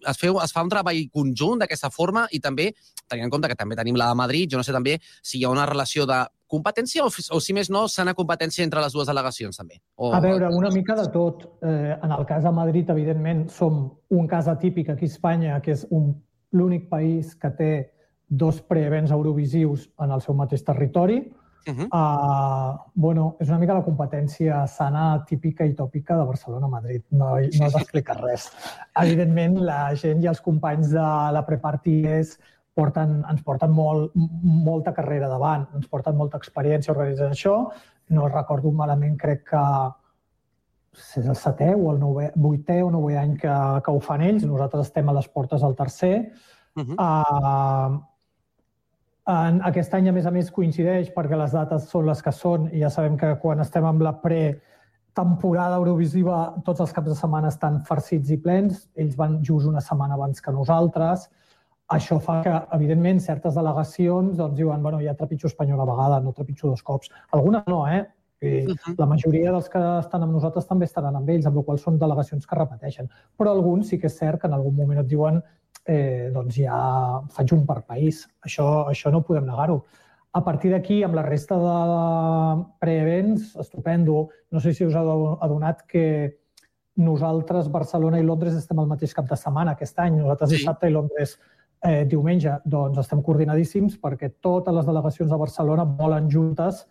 Es fa un treball conjunt d'aquesta forma i també, tenint en compte que també tenim la de Madrid, jo no sé també si hi ha una relació de competència o si més no, sana competència entre les dues delegacions també. A veure, una mica de tot. En el cas de Madrid, evidentment, som un cas atípic aquí a Espanya, que és l'únic país que té 2 preevents eurovisius en el seu mateix territori. És una mica la competència sana, típica i tòpica de Barcelona-Madrid. No has d'explicar res. Evidentment, la gent i els companys de la Preparty ens porten molta carrera davant, ens porten molta experiència organitzant això. No recordo malament, crec que és el 7è o el 8è o 9è any que ho fan ells. Nosaltres estem a les portes del 3è. Aquest any, a més, coincideix perquè les dates són les que són i ja sabem que quan estem amb la pretemporada eurovisiva tots els caps de setmana estan farcits i plens. Ells van just una setmana abans que nosaltres. Això fa que, evidentment, certes delegacions diuen ja trepitjo espanyol a vegada, no trepitjo 2 cops. Algunes no, La majoria dels que estan amb nosaltres també estaran amb ells, amb la qual cosa són delegacions que repeteixen. Però alguns sí que és cert que en algun moment et diuen ja faig un per país. Això no podem negar-ho. A partir d'aquí, amb la resta de preevents, estupendo. No sé si us heu adonat que nosaltres, Barcelona i Londres, estem al mateix cap de setmana aquest any. Nosaltres dissabte i Londres diumenge. Doncs estem coordinadíssims perquè totes les delegacions de Barcelona volen juntes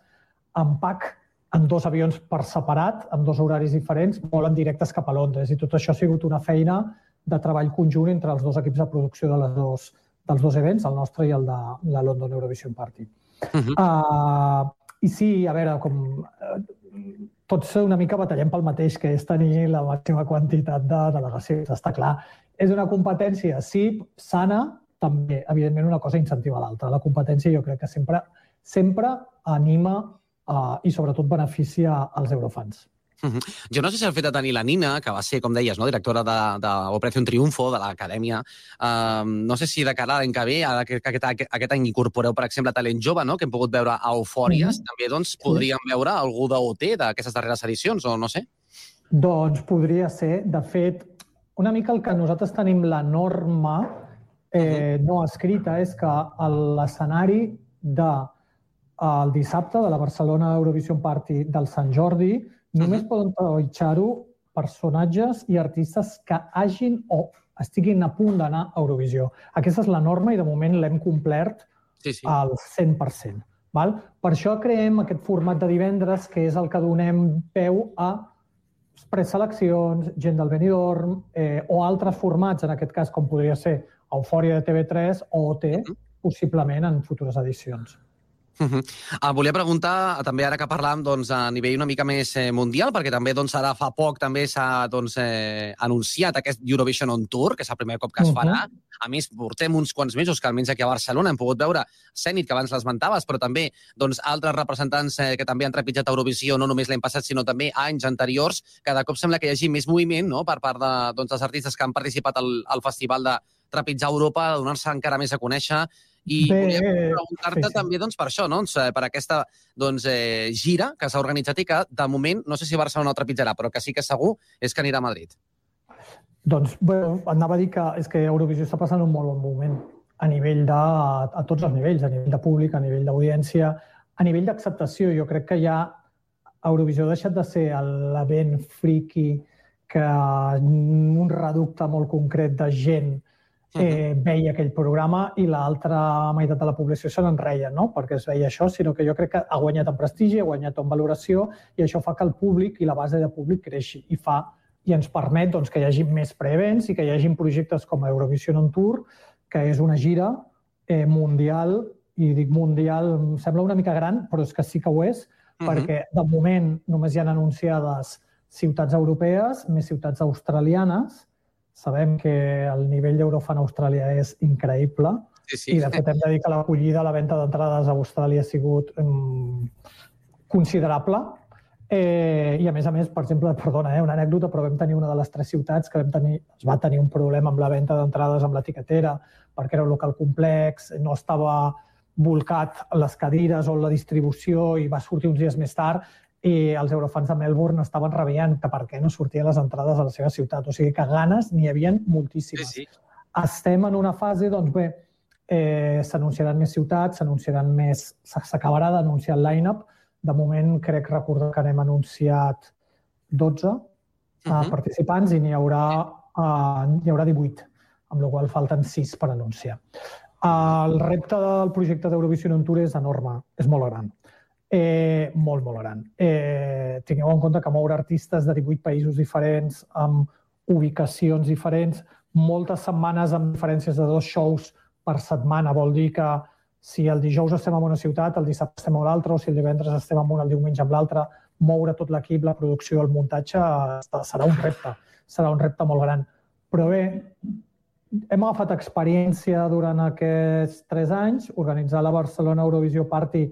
en pack, en 2 avions per separat, amb 2 horaris diferents, volen directes cap a Londres. I tot això ha sigut una feina de treball conjunt entre els 2 equips de producció dels 2 events, el nostre i el de la London Eurovision Party. I sí, a veure, com tots una mica batallem pel mateix, que és tenir la màxima quantitat de delegacions, està clar. És una competència, sí, sana, també, evidentment, una cosa incentiva l'altra. La competència jo crec que sempre anima i sobretot beneficia als eurofans. Jo no sé si el fet de tenir la Nina, que va ser, com deies, directora d'Operación Triunfo, de l'acadèmia, no sé si de cara a l'any que ve, que aquest any incorporeu, per exemple, talent jove, que hem pogut veure a Eufòries, també podríem veure algú d'OT d'aquestes darreres edicions, o no sé? Doncs podria ser. De fet, una mica el que nosaltres tenim la norma no escrita és que l'escenari del dissabte de la Barcelona Eurovision Party del Sant Jordi només poden trepitjar-ho personatges i artistes que hagin o estiguin a punt d'anar a Eurovisió. Aquesta és la norma i de moment l'hem complert al 100%. Per això creem aquest format de divendres, que és el que donem peu a preseleccions, gent del Benidorm o altres formats, en aquest cas com podria ser Eufòria de TV3 o OT, possiblement en futures edicions. Volia preguntar, també ara que parlàvem a nivell una mica més mundial, perquè també ara fa poc també s'ha anunciat aquest Eurovision on Tour, que és el primer cop que es farà. A més, portem uns quants mesos que almenys aquí a Barcelona hem pogut veure Zenit, que abans l'esmentaves, però també altres representants que també han trepitjat Eurovisió, no només l'any passat, sinó també anys anteriors. Cada cop sembla que hi hagi més moviment per part dels artistes que han participat al festival de trepitjar Europa, de donar-se encara més a conèixer. I volia preguntar-te també per això, per aquesta gira que s'ha organitzat i que, de moment, no sé si Barcelona ho trepitjarà, però que sí que segur és que anirà a Madrid. Doncs, anava a dir que és que Eurovisió està passant un molt bon moment a tots els nivells, a nivell de públic, a nivell d'audiència, a nivell d'acceptació. Jo crec que ja Eurovisió ha deixat de ser l'event friki que un reducte molt concret de gent veia aquell programa i l'altra meitat de la població se n'enreia, no perquè es veia això, sinó que jo crec que ha guanyat en prestigi, ha guanyat en valoració i això fa que el públic i la base de públic creixi i ens permet que hi hagi més preevents i que hi hagi projectes com Eurovision on Tour, que és una gira mundial, i dic mundial, em sembla una mica gran, però és que sí que ho és, perquè de moment només hi han anunciades ciutats europees, més ciutats australianes. Sabem que el nivell d'Eurofan a Austràlia és increïble i, de fet, hem de dir que l'acollida a la venda d'entrades a Austràlia ha sigut considerable. I, a més, per exemple, perdona, una anècdota, però vam tenir una de les 3 ciutats que es va tenir un problema amb la venda d'entrades amb l'etiquetera perquè era un local complex, no estava volcat les cadires o la distribució i va sortir uns dies més tard i els eurofans de Melbourne estaven rabiant que per què no sortien les entrades a la seva ciutat. O sigui que ganes n'hi havia moltíssimes. Estem en una fase, doncs bé, s'anunciaran més ciutats, s'acabarà d'anunciar el line-up. De moment crec recordar que n'hem anunciat 12 participants i n'hi haurà 18, amb la qual cosa falten 6 per anunciar. El repte del projecte d'Eurovision on Tour és enorme, és molt gran. Molt, molt gran. Tingueu en compte que moure artistes de 18 països diferents, amb ubicacions diferents, moltes setmanes amb diferències de 2 shows per setmana. Vol dir que si el dijous estem en una ciutat, el dissabte estem a l'altra, o si el divendres estem en una, el diumenge amb l'altra, moure tot l'equip, la producció, el muntatge, serà un repte molt gran. Però bé, hem agafat experiència durant aquests 3 anys. Organitzar la Barcelona Eurovisió Party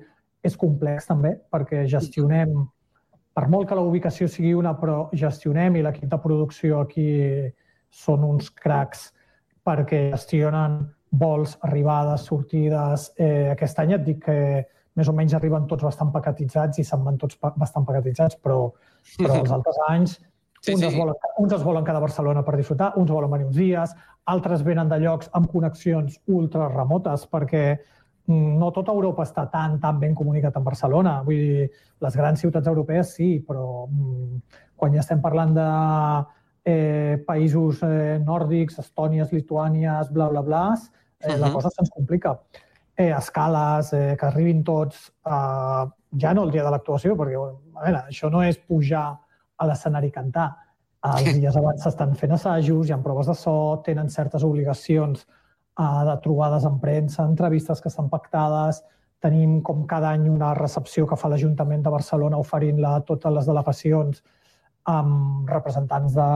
és complex també, perquè gestionem, per molt que la ubicació sigui una, però gestionem i l'equip de producció aquí són uns cracs perquè gestionen vols, arribades, sortides. Aquest any et dic que més o menys arriben tots bastant paquetitzats i se'n van tots bastant paquetitzats, però els altres anys uns es volen quedar a Barcelona per disfrutar, uns volen venir uns dies, altres venen de llocs amb connexions ultra remotes perquè no tota Europa està tan ben comunicat amb Barcelona. Vull dir, les grans ciutats europees sí, però quan ja estem parlant de països nòrdics, Estònies, Lituànies, bla, bla, bla, la cosa se'ns complica. Escales, que arribin tots, ja no el dia de l'actuació, perquè això no és pujar a l'escenari i cantar. Els dies abans s'estan fent assajos, hi ha proves de so, tenen certes obligacions de trobades amb premsa, entrevistes que estan pactades, Tenim, com cada any, una recepció que fa l'Ajuntament de Barcelona oferint-la a totes les delegacions amb representants de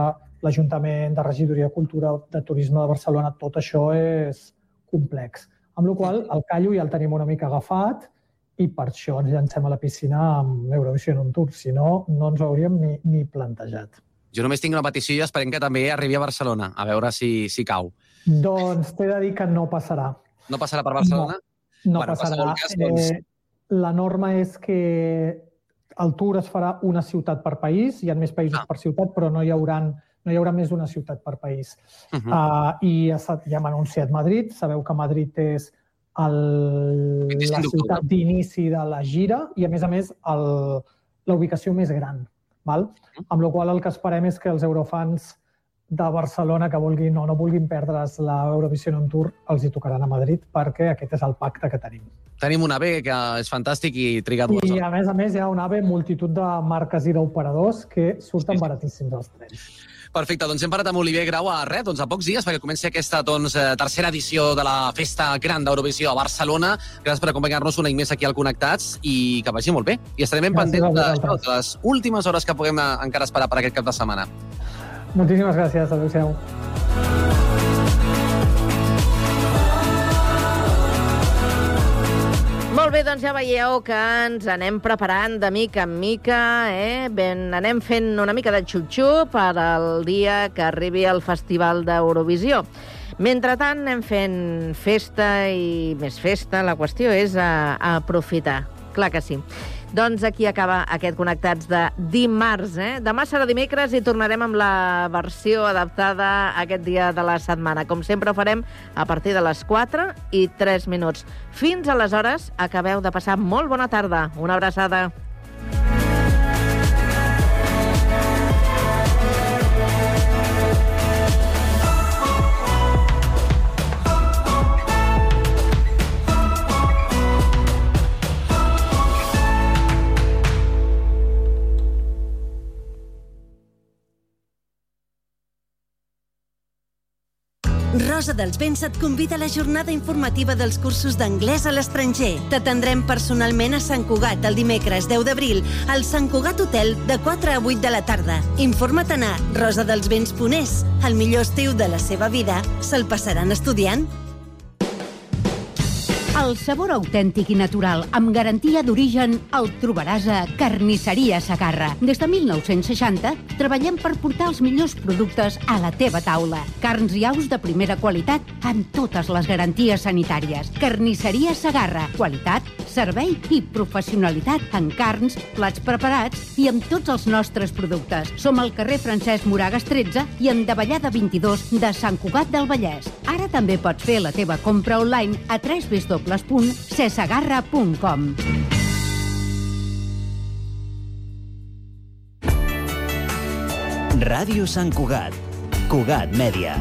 l'Ajuntament, de Regidoria de Cultura, de Turisme de Barcelona. Tot això és complex. Amb la qual cosa, el callo ja el tenim una mica agafat i per això ens llancem a la piscina amb Eurovision on Tour. Si no, no ens ho hauríem ni plantejat. Jo només tinc una petició i esperem que també arribi a Barcelona, a veure si cau. Doncs t'he de dir que no passarà. No passarà per Barcelona? No passarà. La norma és que el Tour es farà una ciutat per país, hi ha més països per ciutat, però no hi haurà més d'una ciutat per país. I ja hem anunciat Madrid, sabeu que Madrid és la ciutat d'inici de la gira i, a més, la ubicació més gran. Amb la qual cosa el que esperem és que els eurofans de Barcelona que vulguin o no vulguin perdre's l'Eurovision on Tour els hi tocaran a Madrid perquè aquest és el pacte que tenim. Tenim un AVE que és fantàstic i triga 2 hores. I a més hi ha un AVE multitud de marques i d'operadors que surten baratíssims els trens. Perfecte, doncs hem parlat amb Oliver Grau a pocs dies perquè comenci aquesta tercera edició de la Festa Gran d'Eurovisió a Barcelona. Gràcies per acompanyar-nos un any més aquí al Connectats i que vagi molt bé. I estarem ben pendents de les últimes hores que puguem encara esperar per aquest cap de setmana. Moltíssimes gràcies, adéu-siau. Molt bé, doncs ja veieu que ens anem preparant de mica en mica, anem fent una mica de xup-xup per al dia que arribi el Festival d'Eurovisió. Mentrestant anem fent festa i més festa, la qüestió és aprofitar, clar que sí. Doncs aquí acaba aquest Connectats de dimarts. Demà serà dimecres i tornarem amb la versió adaptada aquest dia de la setmana. Com sempre ho farem a partir de les 4:03. Fins aleshores, acabeu de passar molt bona tarda. Una abraçada. Rosa dels Vents et convida a la jornada informativa dels cursos d'anglès a l'estranger. T'atendrem personalment a Sant Cugat el dimecres 10 d'abril al Sant Cugat Hotel de 4 a 8 de la tarda. Informa't a rosadelsvents.es. El millor estiu de la seva vida se'l passaran estudiant. El sabor autèntic i natural, amb garantia d'origen, el trobaràs a Carnisseria Segarra. Des de 1960 treballem per portar els millors productes a la teva taula. Carns i aus de primera qualitat amb totes les garanties sanitàries. Carnisseria Segarra. Qualitat, servei i professionalitat en carns, plats preparats i amb tots els nostres productes. Som al carrer Francesc Moragas 13 i en Davallada 22 de Sant Cugat del Vallès. Ara també pots fer la teva compra online a www.cesegarra.com. Ràdio Sant Cugat. Cugat Mèdia.